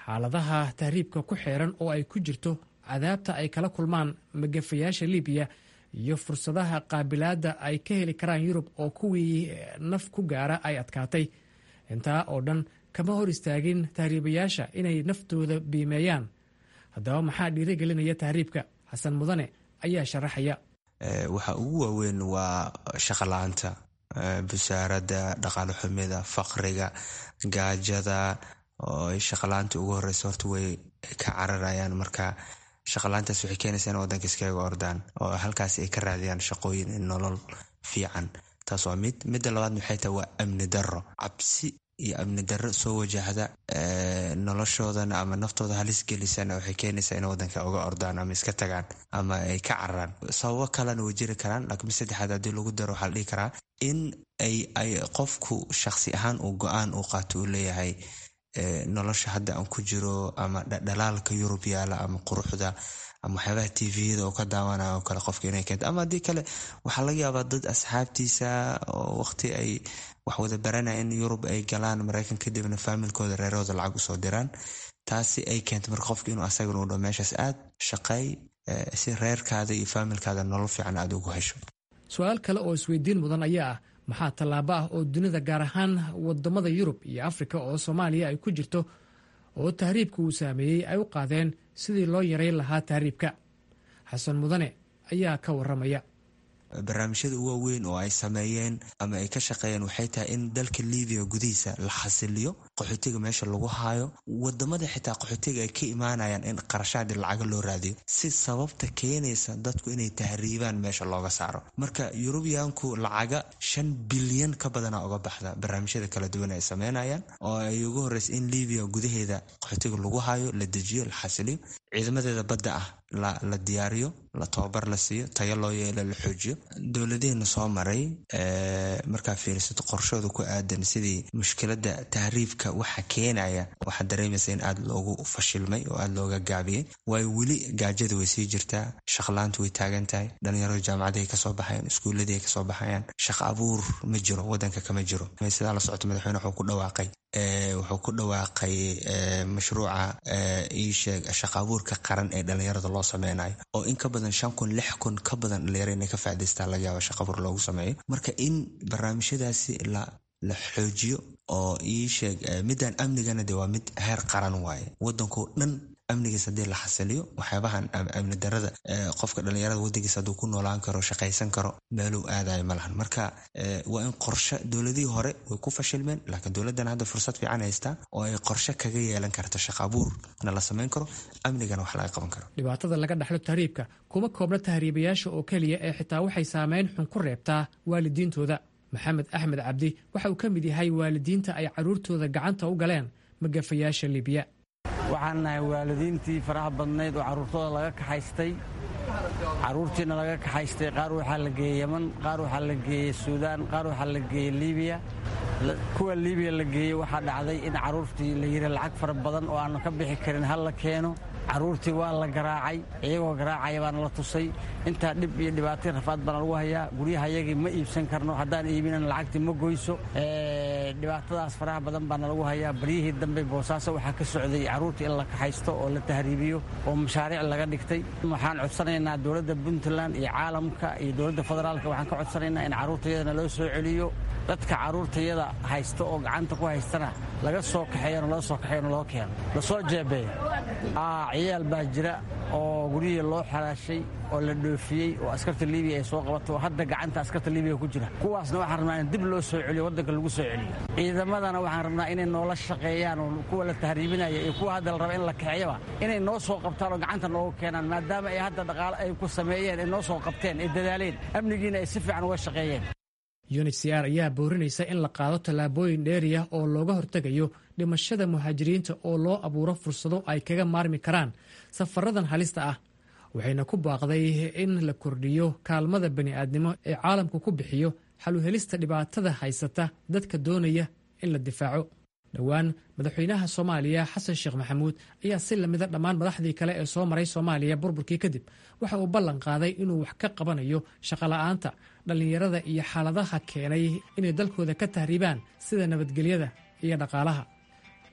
xaaladaha tahriibka ku xeeran oo ay ku jirto cadaabta ay kala kulmaan magafayaasha Libiya, iyo fursadaha qaabilaadda ay ka heli karaan Yurub oo kuwii naf ku gaara ay adkaatay, intaa oo dhan kama hor istaagin tahriibayaasha inay naftooda biimeeyaan. Haddaba maxaa dhiirigelinaya tahriibka? Xasan Mudane ayaa sharaxaya. Waxa ugu waaweyn waa shaqa la-aanta, busaaradda, dhaqaale xumida, faqriga, gaajada oo ay shaqala-aanta ugu horeysa. Horta way ka cararayaan. Marka shaqala-aantaas waxay keenaysaa in wadanka iskaga ordaan oo halkaas ay ka raadiyaan shaqooyin, nolol fiican. Taas waa mid. Midda labaad maxay tahay? Waa amni darro, cabsi iyo amni darro soo wajahda noloshoodana ama naftooda halis gelisana, waxay keenaysaa in wadanka uga ordaan ama iska tagaan ama ay ka cararaan. Sababo kalena way jiri karaan, laakiin mid saddexaad haddii lagu daro, waxaa la dhihi karaa in ay qofku shaqsi ahaan uu go-aan uu qaato, uu leeyahay nolosha hadda aan ku jiro ama dhalaalka Yurub yaala ama quruxda ama waxyaabaha TV-yada oo ka daawanaya oo kale qofka inay keento. Ama haddii kale waxaa laga yaabaa dad asxaabtiisa oo waqti ay wax wada baranaya in Yurub ay galaan, Maraykan, kadibna faamilkooda, reerahooda lacag usoo diraan. Taasi ay keento marka qofka inuu asagana u dho meeshaas aad shaqeey si reerkaada iyo faamilkaada nolol fiican aada ugu hesho. Su-aal kale oo isweydiin mudan ayaa ah: maxaa tallaabo ah oo dunida, gaar ahaan wadamada Yurub iyo Afrika oo Soomaaliya ay ku jirto oo tahriibka uu saameeyey, ay u qaadeen sidii loo yareyn lahaa tahriibka? Xasan Mudane ayaa ka waramaya. Barnaamijyada ugu waaweyn oo ay sameeyeen ama ay ka shaqeeyeen waxay tahay in dalka Libiya gudihiisa la xasiliyo, qaxootiga meesha lagu haayo, wadamada xitaa qaxootiga ay ka imaanayaan in qarashaadi lacaga loo raadiyo si sababta keenaysa dadku inay tahriibaan meesha looga saaro. Marka Yurubiyaanku lacaga 5 bilyan ka badana uga baxda barnaamijyada kala duwan ay sameynayaan, oo ay ugu horeysa in Libiya gudaheeda qaxootiga lagu haayo, la dejiyo, la xasiliyo, ciidamadeeda badda ah la diyaariyo, la tababar la siiyo, tayo loo yeelo, la xoojiyo. Dowladihiina soo maray markaa fiirisato qorshooda ku aadan sidii mushkilada tahriibka waxa keenaya, waxaad dareemaysa in aada loogu fashilmay oo aada looga gaabiyey, waayo weli gaajada way sii jirtaa, shaqlaantu way taagan tahay, dhalinyaradu jaamacadahay kasoo baxayaan, iskuuladii ay kasoo baxayaan, shaqa abuur ma jiro, wadanka kama jiro. Sidaa la socoto, madaxweyne wuxuu ku dhawaaqay mashruuca iisheeg shaqa abuurka qaran ee dhalinyarada loo sameynayo, oo in ka badan 5000, 6000 ka badan dhalinyaro inay ka faa'idaystaan laga yaaba shaqa abuur loogu sameeyo. Marka in barnaamijyadaasi la xoojiyo oo iisheeg midaan amnigana de waa mid heer qaran waaye. Wadankoo dhan amnigiis haddii la xasiliyo, waxyaabahan amni darada, qofka dhalinyarada wadankiisa hadduu ku noolaan karo, shaqaysan karo, meeluu aadayo ma lahan. Marka waa in qorshe, dowladihii hore way ku fashilmeen, laakiin dowladdan hadda fursad fiican haystaa oo ay qorshe kaga yeelan karto, shaqa abuurna la samayn karo, amnigana wax laga qaban karo. Dhibaatada laga dhaxlo tahriibka kuma koobna tahriibayaasha oo keliya ee xitaa waxay saameyn xun ku reebtaa waalidiintooda. Maxamed Axmed Cabdi waxa uu ka mid yahay waalidiinta ay carruurtooda gacanta u galeen magafayaasha Libiya. Waxaan nahay waalidiintii faraha badnayd oo carruurtooda laga kaxaystay. Carruurtiina laga kaxaystay, qaar waxaa la geeyey Yeman, qaar waxaa la geeyey Suudaan, qaar waxaa la geeyey Liibiya. Kuwa Liibiya la geeyey, waxaa dhacday in carruurtii la yidhi lacag fara badan oo aannu ka bixi karin hal la keeno. Carruurtii waa la garaacay, iyagoo garaacaya baana la tusay. Intaa dhib iyo dhibaatay, rafaad baana lagu hayaa. Guryahayagii ma iibsan karno, haddaan iibinan lacagtii ma goyso. Dhibaatadaas faraha badan baana lagu hayaa. Baryihii dambe Boosaaso waxaa ka socday carruurtii in la kaxaysto oo la tahriibiyo oo mashaariic laga dhigtay. Waxaan codsanaynaa dowladda Puntland iyo caalamka iyo dowladda federaalka, waxaan ka codsanaynaa in carruurtayadana loo soo celiyo, dadka carruurtayada haysta oo gacanta ku haystana laga soo kaxeeyona, loo soo kaxeeyona, loo keeno, lasoo jeebeeyo. Ciyaal baa jira oo guryihii loo xalaashay oo la dhoofiyey oo askarta Libiya ay soo qabato oo hadda gacanta askarta Libiya ku jira. Kuwaasna waxaan rabnaa in dib loo soo celiyo, waddanka lagu soo celiyo. Ciidamadana waxaan rabnaa inay noola shaqeeyaan oo kuwa la tahriibinaya iyo kuwa hadda la raba in la kaxeeyaba inay noo soo qabtaan oo gacanta noogu keenaan, maadaama ay hadda dhaqaale ay ku sameeyeen, ay noo soo qabteen, ay dadaaleen, amnigiina ay si fiican uga shaqeeyeen. UNHCR ayaa boorinaysa in la qaado tallaabooyin dheeriya oo looga hortegayo dhimashada muhaajiriinta oo loo abuuro fursado ay kaga maarmi karaan safaradan halista ah, waxayna ku baaqday in la kordhiyo kaalmada bani'aadnimo ee caalamku ku bixiyo xaluhelista dhibaatada haysata dadka doonaya in la difaaco. Dhowaan madaxweynaha Soomaaliya Xasan Sheekh Maxamuud ayaa si lamida dhammaan madaxdii kale ee soo maray Soomaaliya burburkii kadib waxa uu ballan qaaday inuu wax ka qabanayo shaqola'aanta dhallinyarada iyo xaaladaha keenay inay dalkooda ka tahriibaan, sida nabadgelyada iyo dhaqaalaha.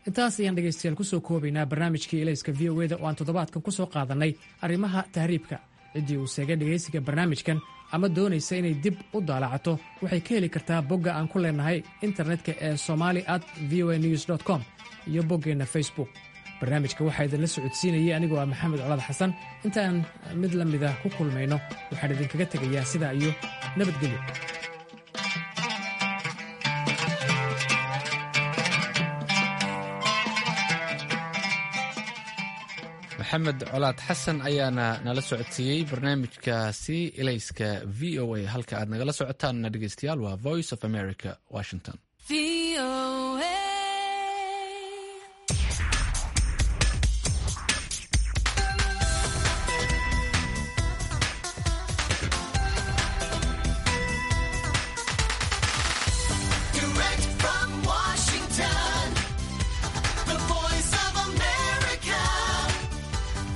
Intaas ayaan dhegaystayaal kusoo koobaynaa barnaamijkii Ilayska VOA-da oo aan toddobaadkan ku soo qaadannay arrimaha tahriibka. Ciddii uu seegay dhegaysiga barnaamijkan ama doonaysa inay dib u daalacato waxay ka heli kartaa bogga aan ku leenahay internetka ee somali@voanews.com iyo boggeenna Facebook. Barnaamijka waxaa idinla socodsiinayay anigoo ah Maxamed Colaad Xasan. Intaan mid la mida ku kulmayno, waxaan idinkaga tegayaa sidaa iyo nabadgelyo. Maxamed Colaad Xasan ayaana nala socodsiiyey barnaamijkaasi ilayska v o a. Halka aad nagala socotaanna, dhegeystayaal, waa Voice of America, Washington. Direct from Washington, the voice of America,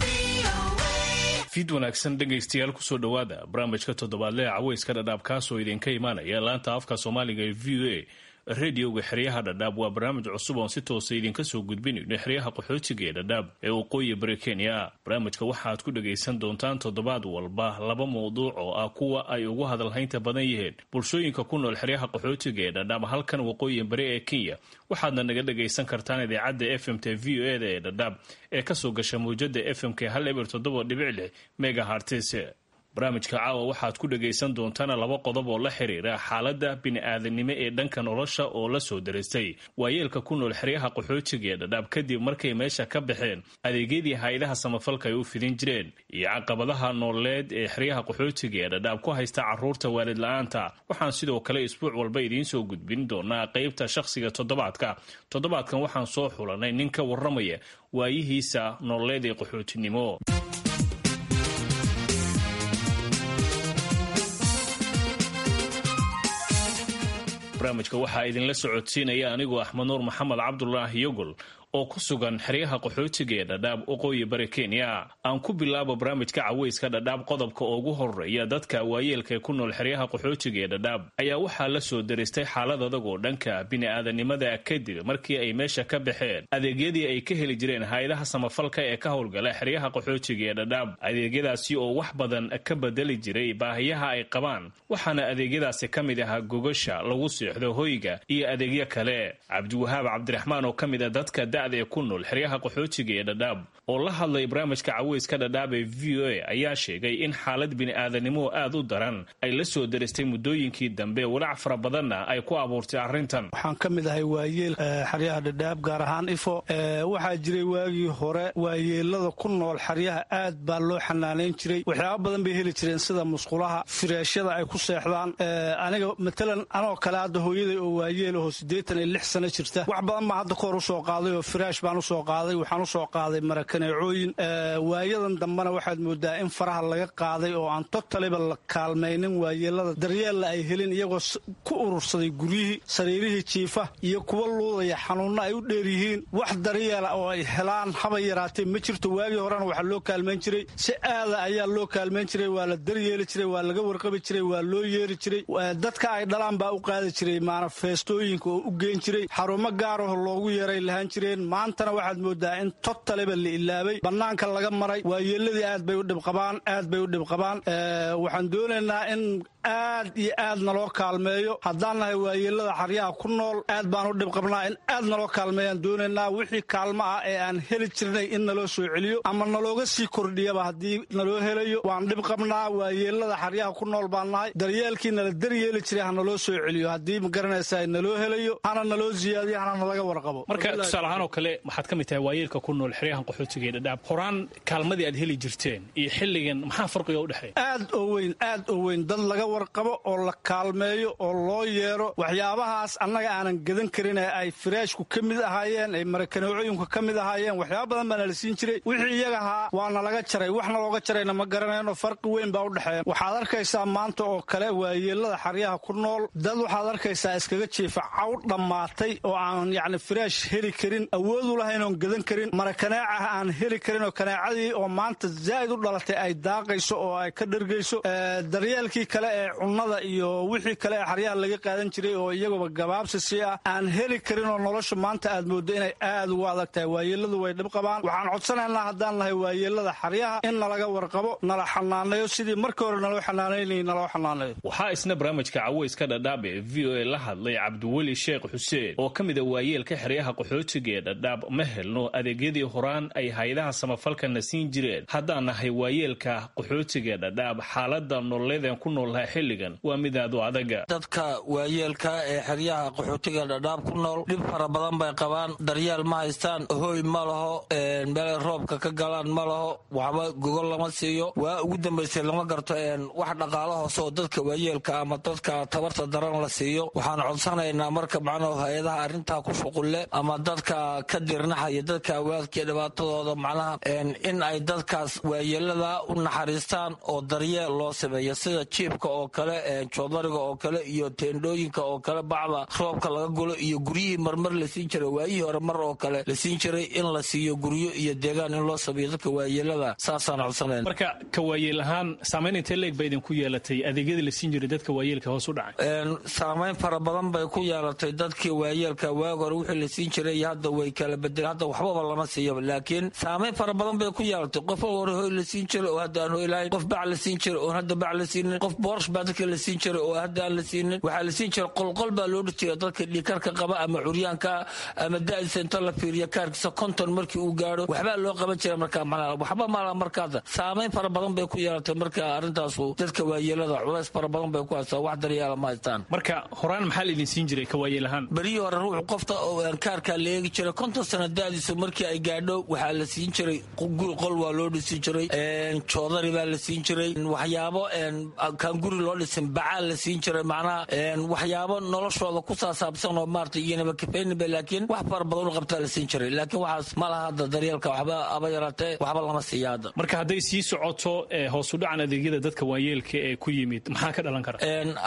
VOA. Fiid wanaagsan, dhegaystayaal, kusoo dhowaada barnaamijka toddobaadle ee caweyska Dhadhaab, kaasoo idinka imaanaya laanta afka Soomaaliga ee v o a, radioga xeryaha Dhadhaab. Waa barnaamij cusub oon si toosa idinka soo gudbinayno xeryaha qaxootiga ee Dhadhaab ee waqooyi bari Kenya. Barnaamijka waxaad ku dhagaysan doontaan toddobaad walba laba mowduuc oo ah kuwa ay ugu hadalhaynta badan yihiin bulshooyinka ku nool xeryaha qaxootiga ee Dhadhaab, halkan waqooyi bari ee Kenya. Waxaadna naga dhagaysan kartaan idaacadda f m t v o eda ee Dhadhaab ee kasoo gasha mawjada f m k 107.6 megahertz. Barnaamijka caawa waxaad ku dhagaysan doontaan laba qodob oo la xiriira xaaladda bini'aadanimo ee dhanka nolosha oo la soo daristay waayeelka ku nool xeryaha qaxootiga ee Dhadhaab kadib markay meesha ka baxeen adeegyadii hay-adaha samafalka ay u fidin jireen, iyo caqabadaha nololeed ee xeryaha qaxootiga ee Dhadhaab ku haysta caruurta waalid la-aanta. Waxaan sidoo kale isbuuc walba idiin soo gudbin doonaa qeybta shakhsiga toddobaadka. Toddobaadkan waxaan soo xulanay nin ka warramaya waayihiisa nololeed ee qaxootinimo. Barnaamijka waxaa idinla socodsiinaya anigoo Axmed Nuur Maxamed Cabdulaahi Yogol oo ku sugan xeryaha qaxootiga ee Dhadhaab, waqooyi bari Kenya. Aan ku bilaabo barnaamijka caweyska Dhadhaab qodobka ugu horeeya. Dadka waayeelka ee ku nool xeryaha qaxootiga ee Dhadhaab ayaa waxaa la soo daristay xaalad adag oo dhanka bini'aadanimada kadib markii ay meesha ka baxeen adeegyadii ay ka heli jireen hay-adaha samafalka ee ka howlgala xeryaha qaxootiga ee Dhadhaab, adeegyadaasi oo wax badan ka bedeli jiray baahiyaha ay qabaan. Waxaana adeegyadaasi ka mid ahaa gogasha lagu seexdo, hoyga iyo adeegyo kale. Cabdiwahaab Cabdiraxmaan oo ka mid a dadka da'da ee ku nool xeryaha qaxootiga ee Dhadhaab oo la hadlay barnaamijka caweyska Dhadhaab ee v o a ayaa sheegay in xaalad bini'aadanimo aad u daran ay la soo daristay muddooyinkii dambe, walaac fara badanna ay ku abuurtay arrintan. Waxaan ka mid ahay waayeel xeryaha Dhadhaab, gaar ahaan Ifo. Waxaa jiray waagii hore waayeelada ku nool xeryaha aad baa loo xanaanayn jiray. Waxyaaba badan bay heli jireen, sida musqulaha, fireeshyada ay ku seexdaan. Aniga matalan anoo kale hadda hooyaday oo waayeel aho 86 sano jirta, wax badan baa hadda kahor usoo qaaday oo firaash baan usoo qaaday, waxaan usoo qaaday marakaneecooyin. Waayadan dambena waxaad moodaa in faraha laga qaaday oo aan totaliba la kaalmaynin waayeelada, daryeella ay helin, iyagoo ku urursaday guryihii, sariirihii jiifa iyo kuwa luudaya, xanuunna ay u dheer yihiin. Wax daryeela oo ay helaan haba yaraatee ma jirto. Waagii horena waxaa loo kaalmayn jiray si aada ayaa loo kaalmayn jiray, waa la daryeeli jiray, waa laga warqabi jiray, waa loo yeeri jiray, dadka ay dhalaan baa u qaadi jiray maanafeestooyinka oo u geyn jiray, xarumo gaaraho loogu yeeray lahaan jireen. Maantana waxaad moodaa in totaliba la ilaabay, bannaanka laga maray. Waayeeladii aad bay u dhibqabaan, aad bay u dhibqabaan. Waxaan doonaynaa in aad iyo aad naloo kaalmeeyo. Haddaan nahay waayeelada xaryaha ku nool, aad baan u dhibqabnaa. In aad naloo kaalmeeyaan doonaynaa. Wixii kaalmo ah ee aan heli jirnay in naloo soo celiyo ama nalooga sii kordhiyaba haddii naloo helayo. Waan dhibqabnaa, waayeelada xaryaha ku nool baan nahay. Daryeelkii nala daryeeli jiray ha naloo soo celiyo haddii ma garanaysaa naloo helayo, hana naloo siyaadiyo, hana nalaga warqabo. Marka tusaale ahaan oo kale, waxaad ka mid tahay waayeelka ku nool xeryahan qaxootiga ee Dhadhaab. Horaan kaalmadii aad heli jirteen iyo xilligan maxaa farqiga u dhexeeya? Aad oo weyn, aad oo weyn. Dad laga warqabo oo la kaalmeeyo oo loo yeero, waxyaabahaas annaga aanan gadan karin ee ay firaashku ka mid ahaayeen, ay marakaneecooyinku ka mid ahaayeen, waxyaaba badan baana la siin jiray. Wixii iyaga ahaa waana laga jaray, waxna looga jarayna ma garanayno. Farqi weyn baa u dhexeeya. Waxaad arkaysaa maanta oo kale waayeelada xaryaha ku nool dad waxaad arkaysaa iskaga jiifa caw dhammaatay oo aan yacni firaash heli karin, awoodu lahayn oon gadan karin, marakaneecah aan heli karin, oo kaneecadii oo maanta zaa'id u dhalatay ay daaqayso oo ay ka dhergayso. Daryeelkii kale ee ee cunnada iyo wixii kale ee xeryaha laga qaadan jiray oo iyaguba gabaabsi sii ah aan heli karin oo nolosha maanta aad mooddo inay aad ugu adag tahay. Waayeelladu way dhib qabaan. Waxaan codsanaynaa haddaan nahay waayeellada xeryaha in nalaga warqabo, nala xanaaneeyo sidii markii hore naloo xanaanaynayay naloo xanaaneeyo. Waxaa isna barnaamijka caweyska Dhadhaab ee VOA la hadlay Cabdiweli Sheekh Xuseen oo ka mid a waayeelka xeryaha qaxootiga ee Dhadhaab. Ma helno adeegyadii horaan ay hay-adaha samafalkana siin jireen. Haddaan nahay waayeelka qaxootiga ee Dhadhaab, xaalada nololeedeen ku noolnahay xilligan waa mid aad u adaga. Dadka waayeelka ee xeryaha qaxootiga Dhadhaab ku nool dhib fara badan bay qabaan. Daryeel ma haystaan, hooy ma laho, meel roobka ka galaan ma laho, waxba gogol lama siiyo. Waa ugu dambaysay lama garto wax dhaqaalo hoose oo dadka waayeelka ama dadka tabarta daran la siiyo. Waxaan codsanaynaa marka macnaha hay-adaha arrintaa ku shuqulle ama dadka ka dirnaxaya dadka awaadka dhibaatadooda macnaha in ay dadkaas waayeelada u naxariistaan oo daryeel loo sameeyo, sida jiibka oo kale, joodariga oo kale iyo teendhooyinka oo kale, bacda roobka laga gulo iyo guryihii marmar la siin jiray waayihii hore mar oo kale la siin jiray in la siiyo guryo iyo deegaan in loo sameeyo dadka waayeelada, saasaan codsanayna. Marka ka waayeel ahaan saamayn intee leeg ba idinku yeelatay adeegyadii la siin jiray dadka waayeelka hoos u dhacay? Saamayn fara badan bay ku yeelatay dadkii waayeelka. Waag hore wixii la siin jiray iyo hadda way kala bedeleen, hadda waxbaba lama siiyo, laakiin saamayn fara badan bay ku yeelatay. Qof hore hoy la siin jiray oo hadda aan hoy lahayn, qof bac la siin jiray oo hadda bac la siinin, qof boorash baa dadka la siin jiray oo hadda aan la siinin. Waxaa la siin jiray qolqol baa loo dhis jiray dadka dhiikarka qaba ama curyaanka ama da'diisa inta la fiiriyo kaarkiisa 50 markii uu gaadho waxbaa loo qaban jiray. Markaa macnaha waxba malaha. Markaada saamayn fara badan bay ku yeelatay. Marka arrintaasu dadka waayeelada culays fara badan bay ku haystaa, wax daryeela ma haystaan. Marka horaan maxaa la idin siin jiray ka waayeel ahaan? Berihii hore ruuxu qofta oo kaarkaa la eegi jiray 50 sano da'diisu markii ay gaadho waxaa la siin jiray guri, qol waa loo dhisi jiray, joodari baa la siin jiray, waxyaabo kaan guri loo dhisin bacaa la siin jiray, macnaha waxyaabo noloshooda ku saasaabsan oo maarata iyanaba kafayninba, laakiin wax fara badan u qabtaa la siin jiray. Laakiin waxaas ma laha hadda, daryeelka waxba aba yaraatee waxba lama siiya hadda. Marka hadday sii socoto hoos u dhacan adeegyada dadka waayeelka ee ku yimid, maxaa ka dhalan kara?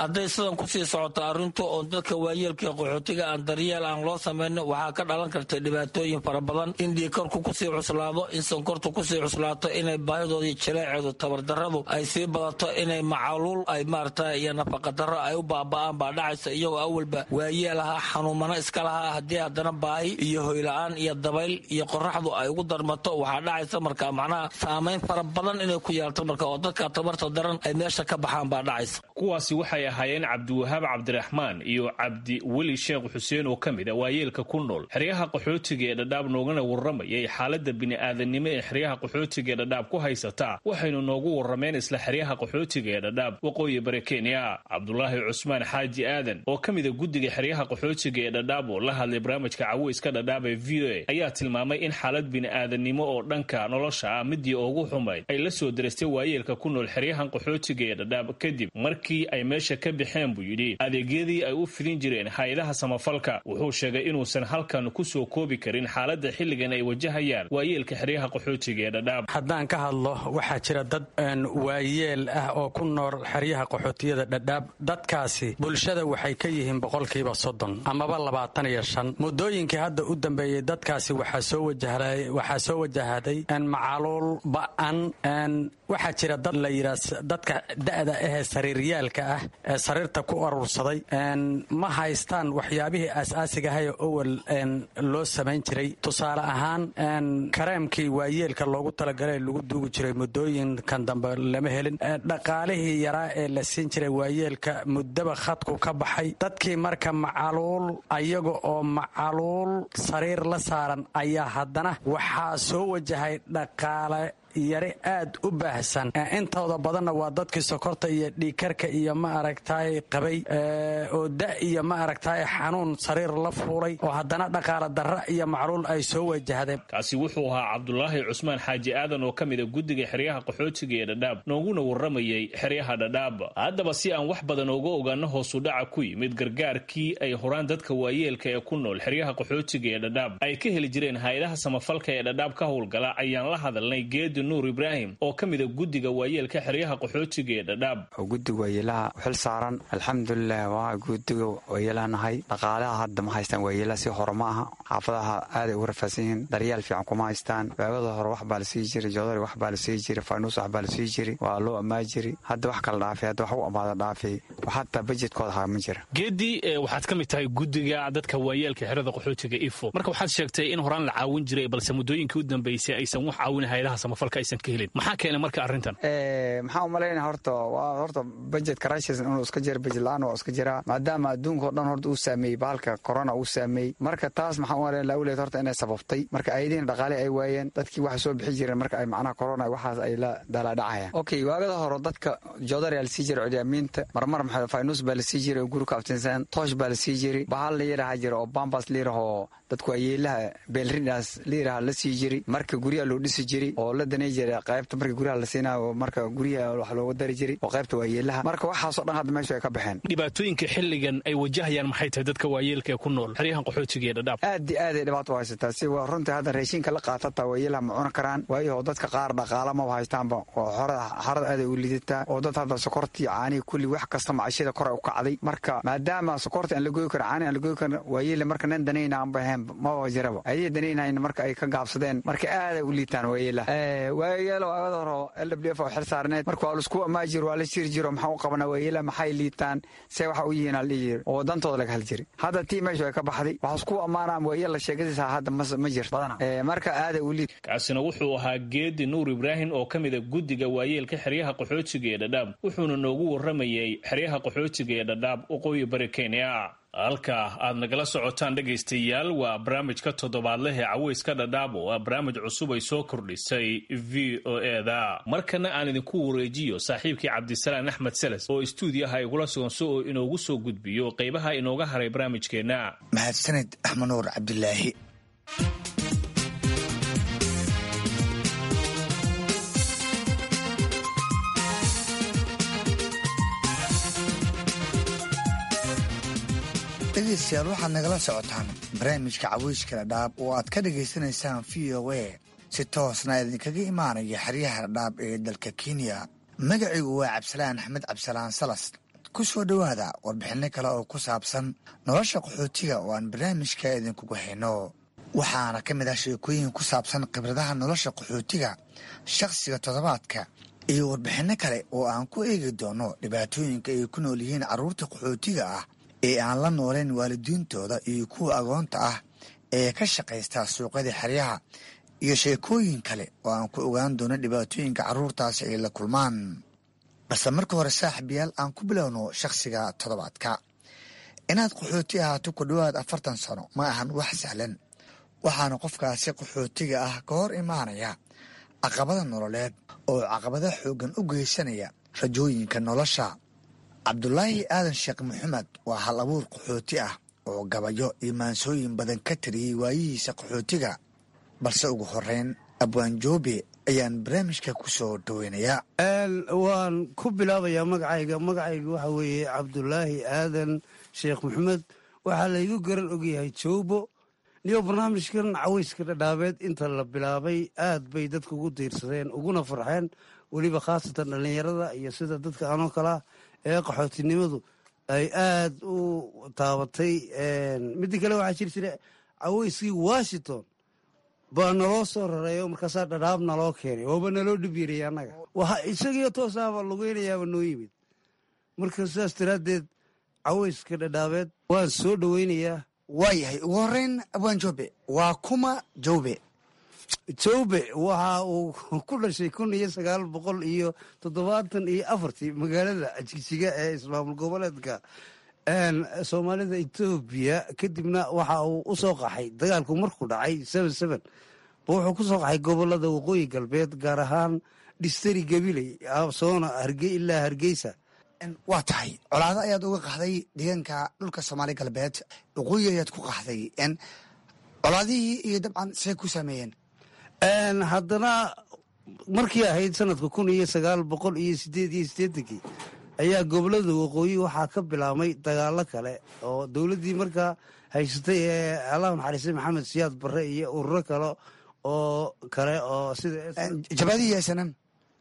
Hadday sidan kusii socoto arrintu oo dadka waayeelka ee qaxootiga aan daryeel aan loo samayno, waxaa ka dhalan karta dhibaatooyin fara badan, in dhiikarku kusii cuslaado, in sonkortu kusii cuslaato, inay baahidooda iyo jaleeceedu tabardarradu ay sii badato, inay macaluul ay maarata iyo nafaqadarro ay u baaba'aan baa dhacaysa. Iyagoo awalba waayeel ahaa, xanuumano iska lahaa, haddii haddana baahi iyo hoyla-aan iyo dabayl iyo qoraxdu ay ugu darmato, waxaa dhacaysa marka macnaha saamayn fara badan inay ku yeelto marka oo dadka tabarta daran ay meesha ka baxaan baa dhacaysa. Kuwaasi waxay ahaayeen Cabdiwahaab Cabdiraxmaan iyo Cabdiweli Sheekh Xuseen oo ka mid a waayeelka ku nool xeryaha qaxootiga ee Dhadhaab, noogana warramayay xaaladda bini'aadanimo ee xeryaha qaxootiga ee Dhadhaab ku haysataa. Waxaynu noogu warrameen isla xeryaha qaxootiga ee Dhadhaab, waqooyi bari Kenya. Cabdulaahi Cusmaan Xaaji Aadan oo ka mid a guddiga xeryaha qaxootiga ee Dhadhaab oo la hadlay barnaamijka caweyska Dhadhaab ee VOA ayaa tilmaamay in xaalad bini'aadanimo oo dhanka nolosha ah midii ugu xumayd ay la soo derestay waayeelka ku nool xeryahan qaxootiga ee Dhadhaab kadib markii ay meesha ka baxeen, buu yidhi, adeegyadii ay u fidin jireen hay-adaha samafalka. Wuxuu sheegay inuusan halkan ku soo koobi karin xaaladda xilligan ay wajahayaan waayeelka xeryaha qaxootiga ee Dhadhaab. Haddaan ka hadlo, waxaa jira dad waayeel ah oo ku nool xeryaha qaxootiyada Dhadhaab. Dadkaasi bulshada waxay ka yihiin 30% amaba 25. Muddooyinkii hadda u dambeeyey dadkaasi waxaa soo wajahday macaluul ba'an. Waxaa jira dad la yidhaa dadka da'da ahee sariiryaalka ah ee sariirta ku urursaday, ma haystaan waxyaabihii aas-aasigahaye owal loo samayn jiray. Tusaale ahaan, kareemkii waayeelka loogu talagalay lagu duugi jiray muddooyinkan dambe lama helin. Dhaqaalihii yaraa ee la siin jiray waayeelka muddaba khadku ka baxay. Dadkii marka macaluul, ayaga oo macaluul sariir la saaran, ayaa haddana waxaa soo wajahay dhaqaale yari aad u baahsan. Intooda badanna waa dadkii sokorta iyo dhiigkarka iyo ma aragtaay qabay oo da iyo ma aragtaay xanuun sariir la fuulay oo haddana dhaqaale darra iyo macluul ay soo wajahdeen. Kaasi wuxuu ahaa Cabdulaahi Cusmaan Xaaji Aadan oo ka mid a guddiga xeryaha qaxootiga ee Dhadhaab, nooguna warramayay xeryaha Dhadhaab. Haddaba si aan wax badan ooga ogaano hoosudhaca ku yimid gargaarkii ay horaan dadka waayeelka ee ku nool xeryaha qaxootiga ee Dhadhaab ay ka heli jireen hay-adaha samafalka ee Dhadhaab ka howlgala, ayaan la hadalnay Geedi Geedi Nuur Ibraahim oo ka mida guddiga waayeelka xeryaha qaxootiga ee Dhadhaab. Guddiga waayeelaha xil saaran, alxamdulilah, waa guddiga waayeelaha nahay. Dhaqaalaha hadda ma haystaan waayeelaha, si hore ma aha. Xaafadaha aaday ugu rafaadsan yihiin, daryaal fiican kuma haystaan. Waagada hore wax baa la sii jiray, joodari wax baa la sii jiray, faanuus wax baa la sii jiray, waa loo ammaa jiray. Hadda wax kala dhaafay, hadda wax u amaada dhaafay, xataa bajedkooda haa ma jira. Geedi, waxaad ka mid tahay guddiga dadka waayeelka xerada qaxootiga Ifo. Marka waxaad sheegtay in horaan la caawin jiray, balse muddooyinkii u dambeysay aysan wax caawin hayadaha samafalka aysan ka helin. Maxaa keenay marka arrintan? Maxaa umalaynaya, horta waa horta budget crisis inuu iska jira, budget la-aan waa iska jiraa, maadaama adduunka o dhan horta uu saameeyey bahalka corona uu saameeyey. Marka taas maxaa umalaynaya lawleed horta inay sababtay. Marka ayadiina dhaqaale ay waayeen, dadkii waxa soo bixi jireen marka ay macnaha corona waxaas ay la daalaadhacayaan. Okay, waagada hore dadka joodari la sii jiray, curyamiinta marmar maxaa faynus baa la sii jiray oo guri ku aftinsan, toosh baa la sii jiray, bahal la yidhaha jira oo bambas la yidhaho dadku ayeelaha beelridaas la yidhaha la sii jiray. Marka guryaha loo dhisi jiray oo la danay jiray qaybta, marka guryaha la siinayo, marka guryaha wax looga dari jiray oo qaybta waayeelaha. Marka waxaasoo dhan hadda meeshu ay ka baxeen. Dhibaatooyinka xilligan ay wajahayaan maxay tahay dadka waayeelka ee ku nool xeryahan qaxootiga ee Dhadhaab? Aad iyo aad ay dhibaato u haysataa. Si waa runtii hadda raashinka la qaatata waayeelaha ma cuni karaan, waayo dadka qaar dhaqaala maba haystaanba oo xorada aad ay u liidataa, oo dad hadda sokortii, caanihii, kulli wax kasta macashada kor ay u kacday. Marka maadaama sokorta aan la goyi karin, caanihi aan la goyi karin, waayeele marka nin danayna aanba ahayn maba jiraba, ayay danaynayn marka ay ka gaabsadeen. Marka aaday u liitaan waayeelaha. Waayeelo waagada hore LWF oo xil saarneed, marka waa laisku amaa jiro, waa la jiri jiro, maxaa u qabanaa waayeelaha, maxay liitaan, see waxa u yihiin la dhihi jiri oo dantooda laga hal jiri. Hadda tii meeshu ay ka baxday, waxaa isku ammaanaa waayeel la sheegadiisa hadda ma jirto badana. Marka aaday u liit. Kaasina wuxuu ahaa Geedi Nuur Ibraahim oo ka mida guddiga waayeelka xeryaha qaxootiga ee Dhadhaab, wuxuuna noogu warramayay xeryaha qaxootiga ee Dhadhaab, waqooyi bari Kenya. Halka aad nagala socotaan, dhegaystayaal, waa barnaamijka toddobaadleh ee Caweyska Dhadhaab, oo ah barnaamij cusub ay soo kordhisay VOA-da. Markana aan idinku wareejiyo saaxiibkii Cabdisalaan Axmed Seles oo istuudiyaha igula sugan si oo inoogu soo gudbiyo qaybaha inooga haray barnaamijkeenna. Mahadsaned, Axmed Nuur Cabdilaahi. Dhegeystayaal, waxaad nagala socotaan barnaamijka Caweyska Dhadhaab oo aad ka dhagaysanaysaan VOA, si toosna idinkaga imaanaya xeryaha Dhadhaab ee dalka Kenya. Magacigu waa Cabdisalaan Axmed Cabdisalaan Salas. Ku soo dhowaada warbixinno kale oo ku saabsan nolosha qaxootiga oo aan barnaamijka idinkugu hayno. Waxaana ka mid ah sheekooyin ku saabsan khibradaha nolosha qaxootiga, shakhsiga toddobaadka iyo warbixinno kale oo aan ku eegi doono dhibaatooyinka ay ku nool yihiin carruurta qaxootiga ah ee aan la nooleen waalidiintooda iyo kuwa agoonta ah ee ka shaqaysta suuqyada xeryaha, iyo sheekooyin kale oo aan ku ogaan doono dhibaatooyinka carruurtaasi ay la kulmaan. Balse marka hore, saaxiibayaal, aan ku bilowno shakhsiga toddobaadka. Inaad qaxooti ahaato ku dhowaad 40 sano ma ahan wax sahlan, waxaana qofkaasi qaxootiga ah ka hor imaanaya caqabada nololeed oo caqabada xooggan u geysanaya rajooyinka nolosha. Cabdulaahi Aadan Sheekh Maxamed waa hal abuur qaxooti ah oo gabayo iyo maansooyin badan ka tiriyey waayihiisa qaxootiga. Balse ugu horeyn, Abwaan Joobe ayaan barnaamijka ku soo dhoweynayaa. Waan ku bilaabayaa magacayga. Magacayga waxaa weeye Cabdulaahi Aadan Sheekh Maxamed, waxaa laygu garan ogyahay Joobo. Niyo barnaamijkan Caweyska Dhadhaabeed inta la bilaabay aad bay dadka ugu diirsadeen uguna farxeen, weliba khaasatan dhallinyarada iyo sida dadka anoo kalaa ee qaxootinimadu ay aad u taabatay. Midda kale, waxaa jiri jira caweyskii Washington baa naloo soo rareeyo, markaasaa Dhadhaab naloo keenay, waaba naloo dhib yarayay annaga, waxa isagiyo toosaaba lugeynayaaba noo yimid. Marka sidaas daraaddeed Caweyska Dhadhaabeed waan soo dhoweynayaa. Waayahay, ugu horeyn, Abwaan Joobe, waa kuma Joobe? Joobe waxa uu ku dhashay 1974-tii magaalada Jigjiga ee ismaamul goboleedka Soomaalida Etoobiya. Kadibna waxa uu u soo qaxay dagaalku markuu dhacay ba wuxuu ku soo qaxay gobolada waqooyi galbeed, gaar ahaan dhistari Gabiley, soona ilaa Hargeysa. Waa tahay, colaado ayaad uga qaxday deegaanka dhulka Soomaali Galbeed, waqooyi ayaad ku qaxday. Colaadihii iyo dabcan see ku saameeyeen? Haddana markii ahayd sanadka 1988-kii ayaa gobolada waqooyi waxaa ka bilaabmay dagaalo kale oo dowladdii markaa haysatay ee Allah naxariistay Maxamed Siyaad Barre iyo ururo kale Oo kale oo sida jabadihii SNM,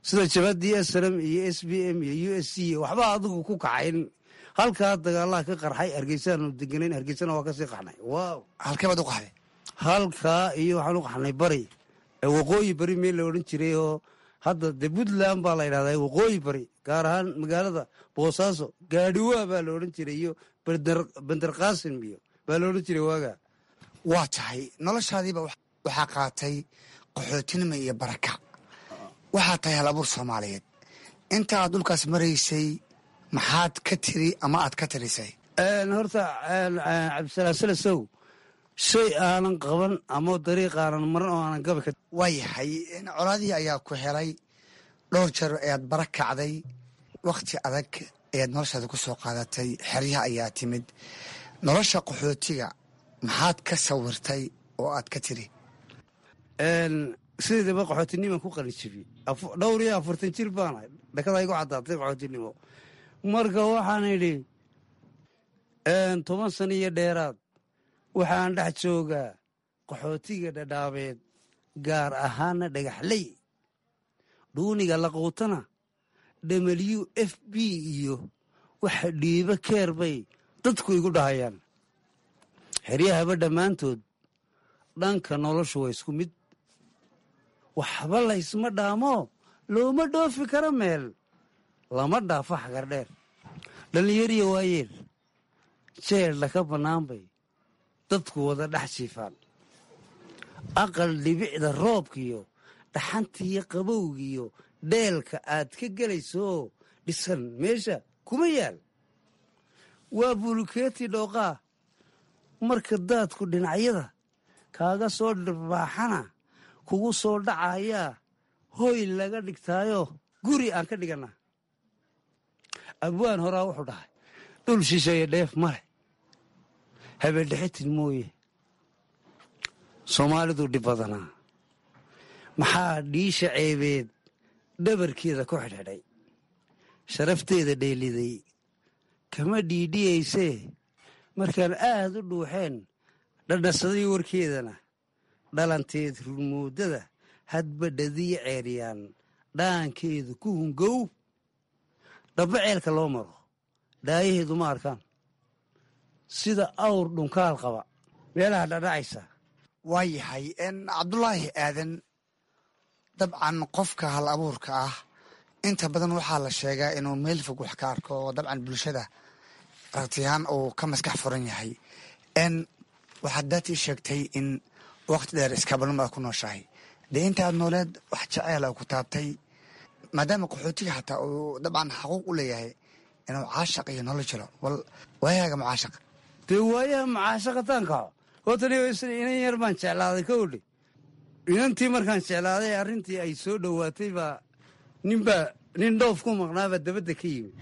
sida jabadii SNM iyo SBM iyo USC, waxba adigu ku kacayn. Halkaa dagaalaha ka qarxay, Hargeysaanu deganayn, Hargeysana waa kasii qaxnay. Wow. Halkee baad u qaxday? Halkaa iyo waxaan u qaxnay bari, waqooyi bari meel la odhan jiray oo hadda dee Puntland baa la yidhahdaa, waqooyi bari, gaar ahaan magaalada Boosaaso, Gaadhiwaa baa la odhan jiray iyo Bender Qaasim iyo baa la odhan jiray waagaa. Waa tahay, noloshaadiiba waxaa qaatay qaxootinimo iyo baraka. Waxaa tahay hal abuur Soomaaliyeed. Inta aad dhulkaas maraysay maxaad ka tiri ama aad ka tirisay? Horta Cabdisalaam Salasow, shay aanan qaban ama dariiq aanan maran oo aanan gabi ka Waa yahay, colaadihii ayaa ku helay, dhowr jeer ayaad bara kacday, wakhti adag ayaad noloshaada ku soo qaadatay, xeryaha ayaa timid. Nolosha qaxootiga maxaad ka sawirtay oo aad ka tiri? Sideedaba qaxootinimaan ku qalin jibiyey 44 jir baanahay, dhakada igu caddaatay qaxootinimo. Marka waxaan idhi, 10 sano iyo dheeraad waxaan dhex joogaa qaxootiga Dhadhaabeed, gaar ahaana Dhagaxley. Dhuuniga laquutana WFP iyo waxa dhiibo keer bay dadku igu dhahayaan. Xeryahaba dhammaantood dhanka noloshu waa isku mid, waxba laysma dhaamo, looma dhoofi karo meel, lama dhaafo xagardheer. Dhallinyariya waayeel jeedla ka bannaan bay dadku wada dhex jiifaan. Aqal dhibicda roobkiyo dhaxantiiyo qabowgiyo dheelka aad ka gelaysooo dhisan meesha kuma yaal, waa bulukeeti dhooqaa. Marka daadku dhinacyada kaaga soo dhirbaaxana kugu soo dhacayaa, hoy laga dhigtaayo guri aan ka dhigannaa. Abwaan horaa wuxuu dhahay, dhul shisheeye dheef male, habeendhexitin mooye. Soomaalidu dhib badanaa, maxaa dhiisha ceebeed dhabarkeeda ku xidhxidhay, sharafteeda dheeliday kama dhiidhiyaysee. Markaan aad u dhuuxeen dhadhasaday warkeedana, dhalanteed rurmoodada hadba dhadiya ceeriyaan dhaankeedu ku hungow. Dhabba ceelka loo maro dhaayaheedu ma arkaan, sida awr dhunkaal qaba meelaha dhadhacaysa. Waa yahay, Cabdulaahi Aadan, dabcan qofka hal abuurka ah inta badan waxaa la sheegaa inuu meel fog wax ka arko, oo dabcan bulshada aragtiyahaan uu ka maskax furan yahay. Waxaad daatii sheegtay in waqti dheer iskabalnimo aad ku nooshahay. Dee intaad nooleed wax jaceyl a ku taabtay, maadaama qaxootiga xataa uu dabcan xaquuq u leeyahay inuu caashaq iyo nolol jiro, bal waayahaaga mucaashaq? Dee waayaha mucaashaqataan kaco horta inan yar baan jeclaaday kowdhe. Inantii markaan jeclaaday, arrintii ay soo dhowaatay baa ninbaa nin dhoof ku maqnaabaa dabadda ka yimid.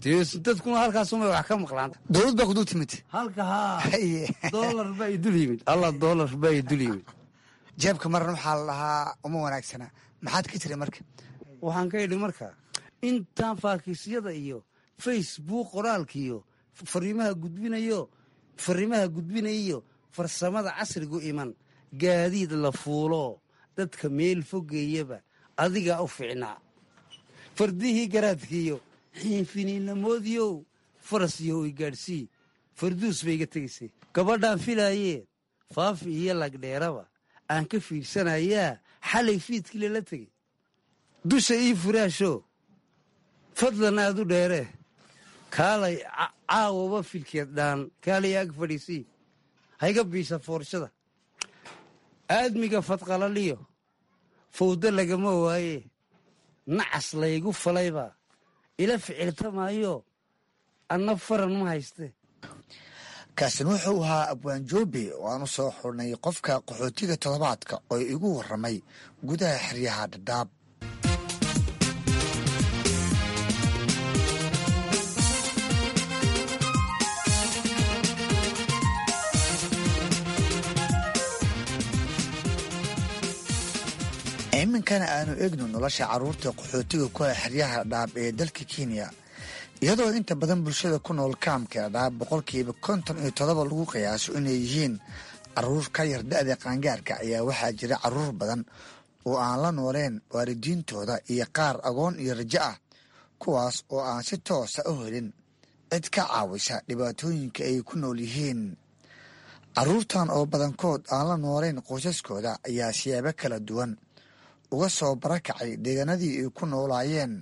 Dee dadkuna halkaasumay wax ka maqlaan. Dowlad baa ku dul timid. Halka haa, doolar baa idul yimid, alla doolar baa idul yimid. Jeebka maran waxaa la dhahaa uma wanaagsana. Maxaad ka tiri marka? Waxaan ka idhi marka, intaan faakiisyada iyo Facebook qoraalkiiyo fariimaha gudbinayo, fariimaha gudbinayiyo farsamada casrigu iman, gaadiid la fuulo dadka meel fogeeyaba adigaa u ficnaa. Fardihii garaadkiiyo xiinfiniinamoodiyow faras iyo i gaadhsii, farduus bay iga tegaysay. Gabadhaan filaayee Faafi iyo Lagdheeraba aan ka fiirsanayaa xalay fiidkii lala tegey. Dusha ii furaasho fadlan aad u dheeree, kaalay caawaba filkeed dhaan, kaalay ag fadhiisii, hayga biisa foorshada. Aadmiga fadqalaliyo fawdo lagama waaye, nacas laygu falaybaa ila ficiltamaayo, anna faran ma hayste. Kaasin wuxuu ahaa Abwaan Joobe oo aan u soo xurnay qofka qaxootiga toddobaadka oo igu warramay gudaha xeryaha Dhadhaab. Iminkana aanu eegno nolosha carruurta qaxootiga ku ah xeryaha Dhadhaab ee dalka Kenya. Iyadoo inta badan bulshada ku nool kaamka Dhadhaab 57% lagu qiyaaso inay yihiin Caruur ka yar da'da qaangaarka ayaa waxaa jira caruur badan oo aan la nooleen waalidiintooda iyo qaar agoon iyo rajo ah, kuwaas oo aan si toosa u helin cid ka caawisa dhibaatooyinka ay ku nool yihiin. Caruurtan oo badankood aan la nooleyn qoysaskooda ayaa siyaabo kala duwan uga soo barakacay deegaanadii ay ku noolaayeen,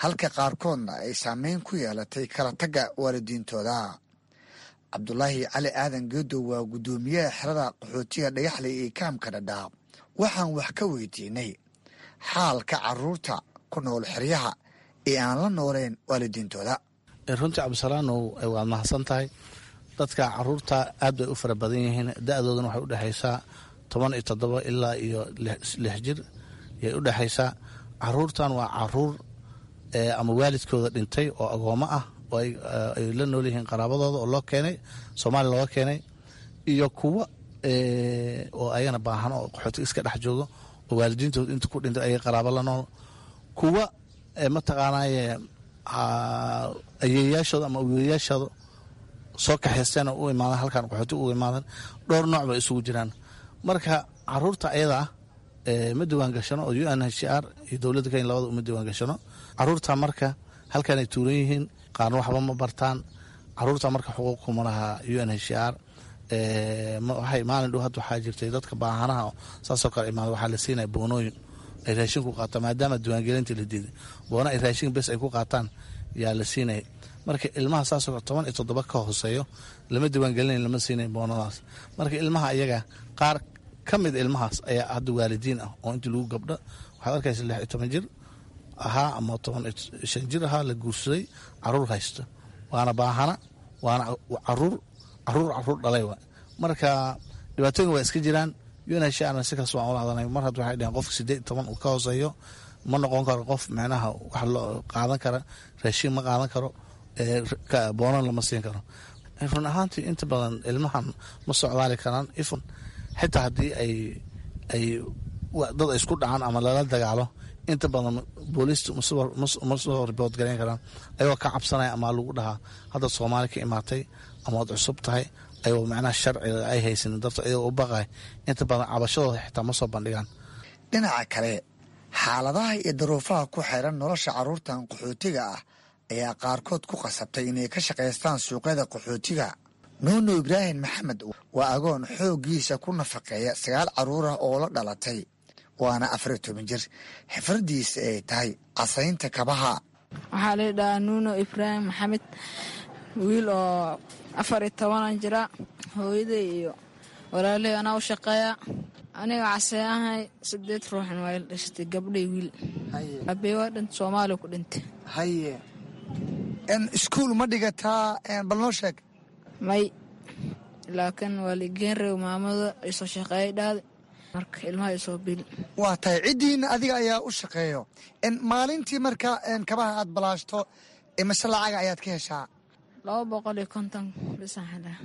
halka qaarkoodna ay saameyn ku yeelatay kala tagga waalidiintooda. Cabdulaahi Cali Aadan Geedow waa guddoomiyaha xerada qaxootiga Dhagaxley ee kaamka Dhadhaab. Waxaan wax ka weydiinay xaalka caruurta ku nool xeryaha ee aan la nooleyn waalidiintooda. Runtii Cabdisalaanow, waad mahadsan tahay. Dadka caruurta aad bay u fara badan yihiin, da-doodana waxay udhexaysaa 17 ilaa iyo 6 jir yay udhexaysaa. Caruurtan waa caruur ama waalidkooda dhintay oo agoomo ah oo ay la nool yihiin qaraabadooda oo loo keenay Soomaaliya looga keenay, iyo kuwa oo ayagana baahan oo qaxootiga iska dhex joogo oo waalidiintooda inta ku dhintay ayaga qaraabo la nool, kuwa mataqaanaaye ayeeyaashooda ama awoyayaashooda soo kaxaysteen oo u imaadan halkan qaxootiga ugu imaadan. Dhowr nooc bay isugu jiraan. Marka caruurta ayada ah ma diwaan gashano oo UNHCR iyo dowladda Kenya labada uma diwaan gashano caruurta. Marka halkanay tuuran yihiin, qaarna waxba ma bartaan. Caruurta marka xuquuq kuma laha UNHCR. Waxay maalin dhow hadda waxaa jirtay dadka baahanaha saasoo kale imaada, waxaa la siinaya boonooyin ay raashin ku qaataan, maadaama diiwaangelinta la diiday. Boona ay raashin bes ay ku qaataan yaa la siinaya. Marka ilmaha saasoo kale 17 ka hooseeyo lama diiwaangelinayo, lama siinayo boonadaas. Marka ilmaha iyaga qaar ka mid ilmahaas ayaa hadda waalidiin ah oo intii lagu gabdho waxaad arkaysa 16 jir ahaa ama 15 jir ahaa la guursaday, caruur haysto, waana baahana, waana caruur caruur caruur dhalay wa. Marka dhibaatooyin waa iska jiraan. UNHCR si kaas waan ula hadalnay. Mar hadda waxay dhaheen qofka 18 uu ka hooseeyo ma noqon karo qof micnaha wax loo qaadan kara, raashin ma qaadan karo, boonan lama siin karo. Run ahaantii inta badan ilmahan ma socdaali karaan ifun, xitaa haddii ay dad ay isku dhacaan ama lala dagaalo, inta badan booliistu ma soo ribood garayn karaan, ayagoo ka cabsanaya ama lagu dhahaa hadda Soomaali ka imaatay ama waad cusub tahay, ayagoo macnaha sharciga ay haysanin darto, ayagoo u baqay inta badan cabashadooda xitaa ma soo bandhigaan. Dhinaca kale, xaaladaha iyo daruufaha ku xeeran nolosha carruurtan qaxootiga ah ayaa qaarkood ku qasabtay inay ka shaqaystaan suuqyada qaxootiga. Nuunu Ibraahim Maxamed waa agoon xooggiisa ku nafaqeeya 9 carruur ah oo la dhalatay, waana 14 jir, xifradiisa ay tahay casaynta kabaha. Waxaa la dhahaa Nuuno Ibraahim Maxamed, wiil oo 14-an jira. Hooyaday iyo walaaley anaa u shaqeeya. Aniga casee ahay, 8 ruuxna waa ila dhashatay, gabdhay wiil. Aabey waa dhintay, Soomaaliya ku dhintay. Haye, iskuul ma dhigataa? Bal noo sheeg. May, laakiin waa liigeen reeb, maamada isoo shaqeeyay dhahday, marka ilmaha isoo bil. Waa tahay, ciddiina adiga ayaa u shaqeeyo. Maalintii marka kabaha aad balaashto imase lacaga ayaad ka heshaa? 250 bisaan helaa.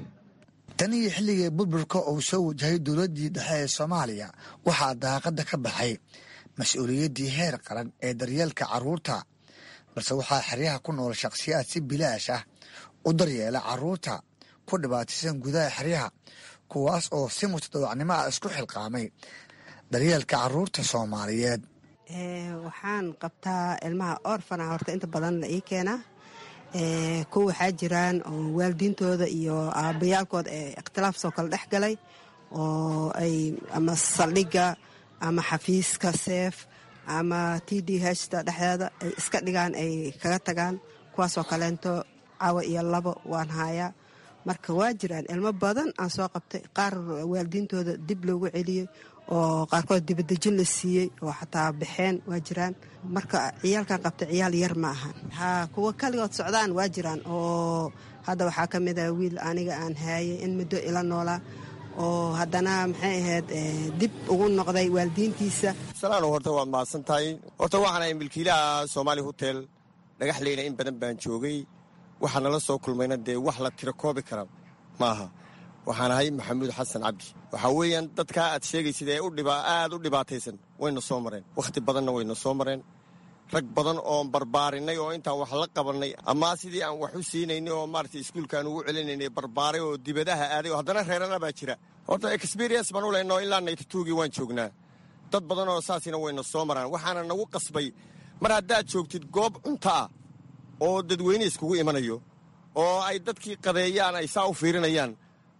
Tan iyo xilligii burburka uu soo wajahay dowladdii dhexe ee Soomaaliya, waxaa daaqadda ka baxay mas-uuliyaddii heer qaran ee daryeelka carruurta, balse waxaa xeryaha ku nool shakhsiyaad si bilaash ah u daryeela carruurta ku dhibaataysan gudaha xeryaha, kuwaas oo si mutadawacnimo ah isku xilqaamay daryeelka carruurta Soomaaliyeed. Waxaan qabtaa ilmaha orfana horta inta badan la ii keenaa. Kuwa waxaa jiraan oo waalidiintooda iyo aabbayaalkooda ee ikhtilaaf soo kala dhex galay, oo ay ama saldhigga ama xafiiska seef ama t d hta dhexdeeda ay iska dhigaan, ay kaga tagaan. Kuwaasoo kaleento cawa iyo labo waan haayaa. Marka waa jiraan ilmo badan aan soo qabtay, qaar waalidiintooda dib loogu celiyey oo qaarkood dibadejin la siiyey oo xataa baxeen waa jiraan. Marka ciyaalkan qabtay ciyaal yar ma ahan. Haa, kuwa kaligood socdaan waa jiraan, oo hadda waxaa ka mid ah wiil aniga aan haayay in muddo ila noolaa oo haddana maxay ahayd dib ugu noqday waalidiintiisa. Salaano, horta waad mahadsan tahay. Horta waxaan ahay milkiilaha Soomaali Hotel Dhagaxleyna. In badan baan joogay, waxaa nala soo kulmayna dee wax la tiro koobi kara maaha. Waxaan ahay Maxamuud Xasan Cabdi. Waxaa weeyaan dadkaa aad sheegaysid ee aad u dhibaataysan wayna soo mareen, wakhti badanna wayna soo mareen. Rag badan oon barbaarinay oo intaan wax la qabannay ama sidii aan wax u siinaynay oo maaragtay iskuulkaan ugu celinaynay barbaaray oo dibadaha aaday oo haddana reerana baa jira. Horta experience baan u leynoo ilaa 92-gii waan joognaa. Dad badan oo saasina wayna soo maraan. Waxaana nagu qasbay mar haddaad joogtid goob cunto ah oo dadweyne iskugu imanayo oo ay dadkii qadeeyaan ay saa u fiirinayaan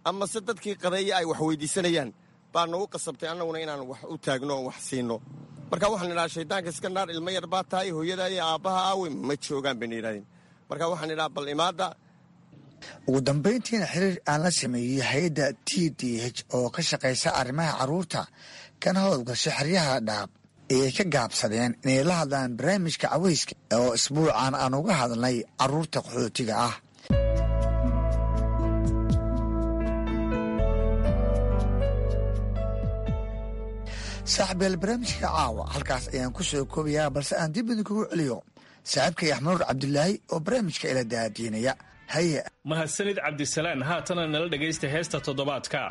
ama se dadkii qadeeya ay wax weydiisanayaan baa nagu qasabtay annaguna inaan wax u taagno oon wax siinno. Marka waxaan idhaha, shaydaanka iska naar, ilmo yar baa tahay, hooyada iyo aabbaha aawe? Ma joogaan bayna yidhahdeen. Marka waxaan idhaha, bal imaadda. Ugu dambayntiina xiriir aan la sameeyey hay-adda TDH oo ka shaqaysa arrimaha carruurta kana howlgasha xeryaha Dhadhaab ayay ka gaabsadeen inay la hadlaan barnaamijka caweyska oo isbuucan aan uga hadlnay carruurta qaxootiga ah. Saaxiibyaal, barnaamijka caawa halkaas ayaan ku soo koobayaa, balse aan dib idinkugu celiyo saaxiibkay Axmanuur Cabdulaahi oo barnaamijka ila daadiinaya. Haye. Mahadsanid, Cabdisalaan. Haatana nala dhegaysta heesta toddobaadka.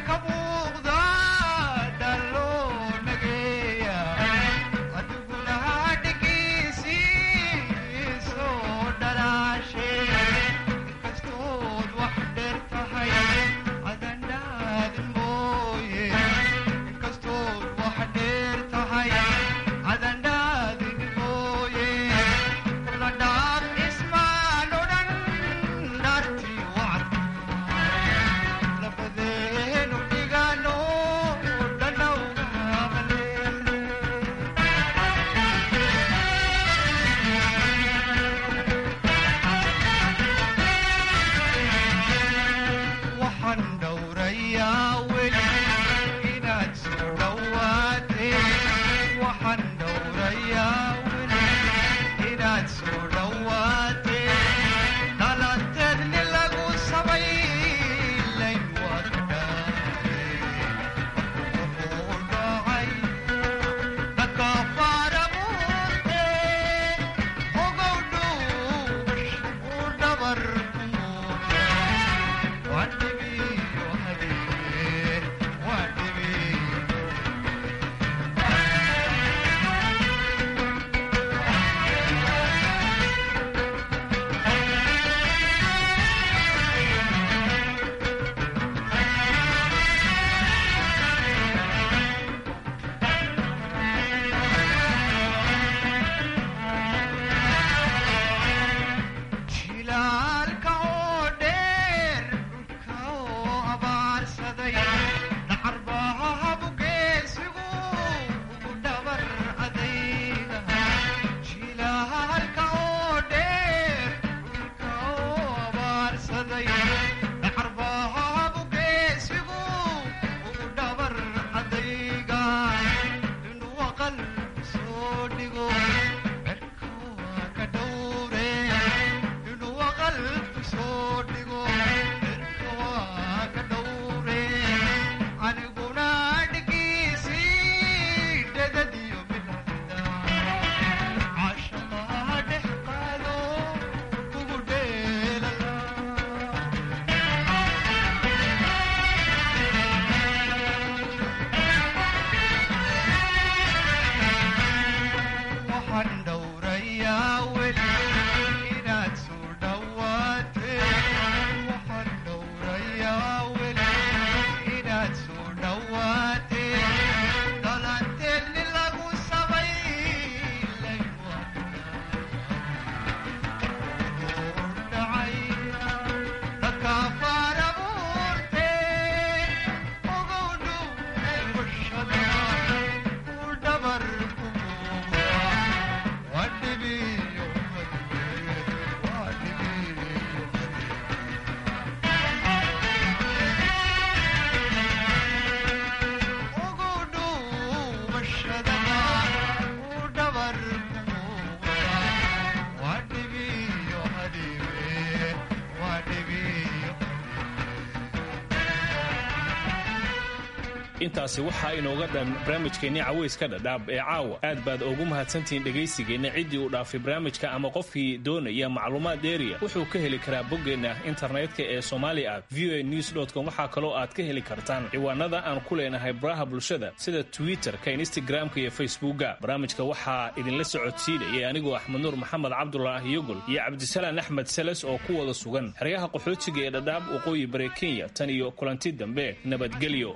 Ka muuqda. Intaasi waxaa inooga dhan barnaamijkeenni caweyska Dhadhaab ee caawa. Aad baad ugu mahadsantihiin dhegaysigeenna. Ciddii uu dhaafay barnaamijka ama qofkii doonaya macluumaad dheeriya wuxuu ka heli karaa boggeenna internetka ee somali at voa news com. Waxaa kaloo aad ka heli kartaan ciwaanada aan ku leenahay baraha bulshada sida Twitter-ka, Instagram-ka iyo Facebookga. Barnaamijka waxaa idinla socodsiinayay anigoo Axmed Nuur Maxamed Cabdulaahi Yogol iyo Cabdisalaan Axmed Seles oo ku wada sugan xeryaha qaxootiga ee Dhadhaab, waqooyi bari Kenya. Tan iyo kulanti dambe, nabadgelyo.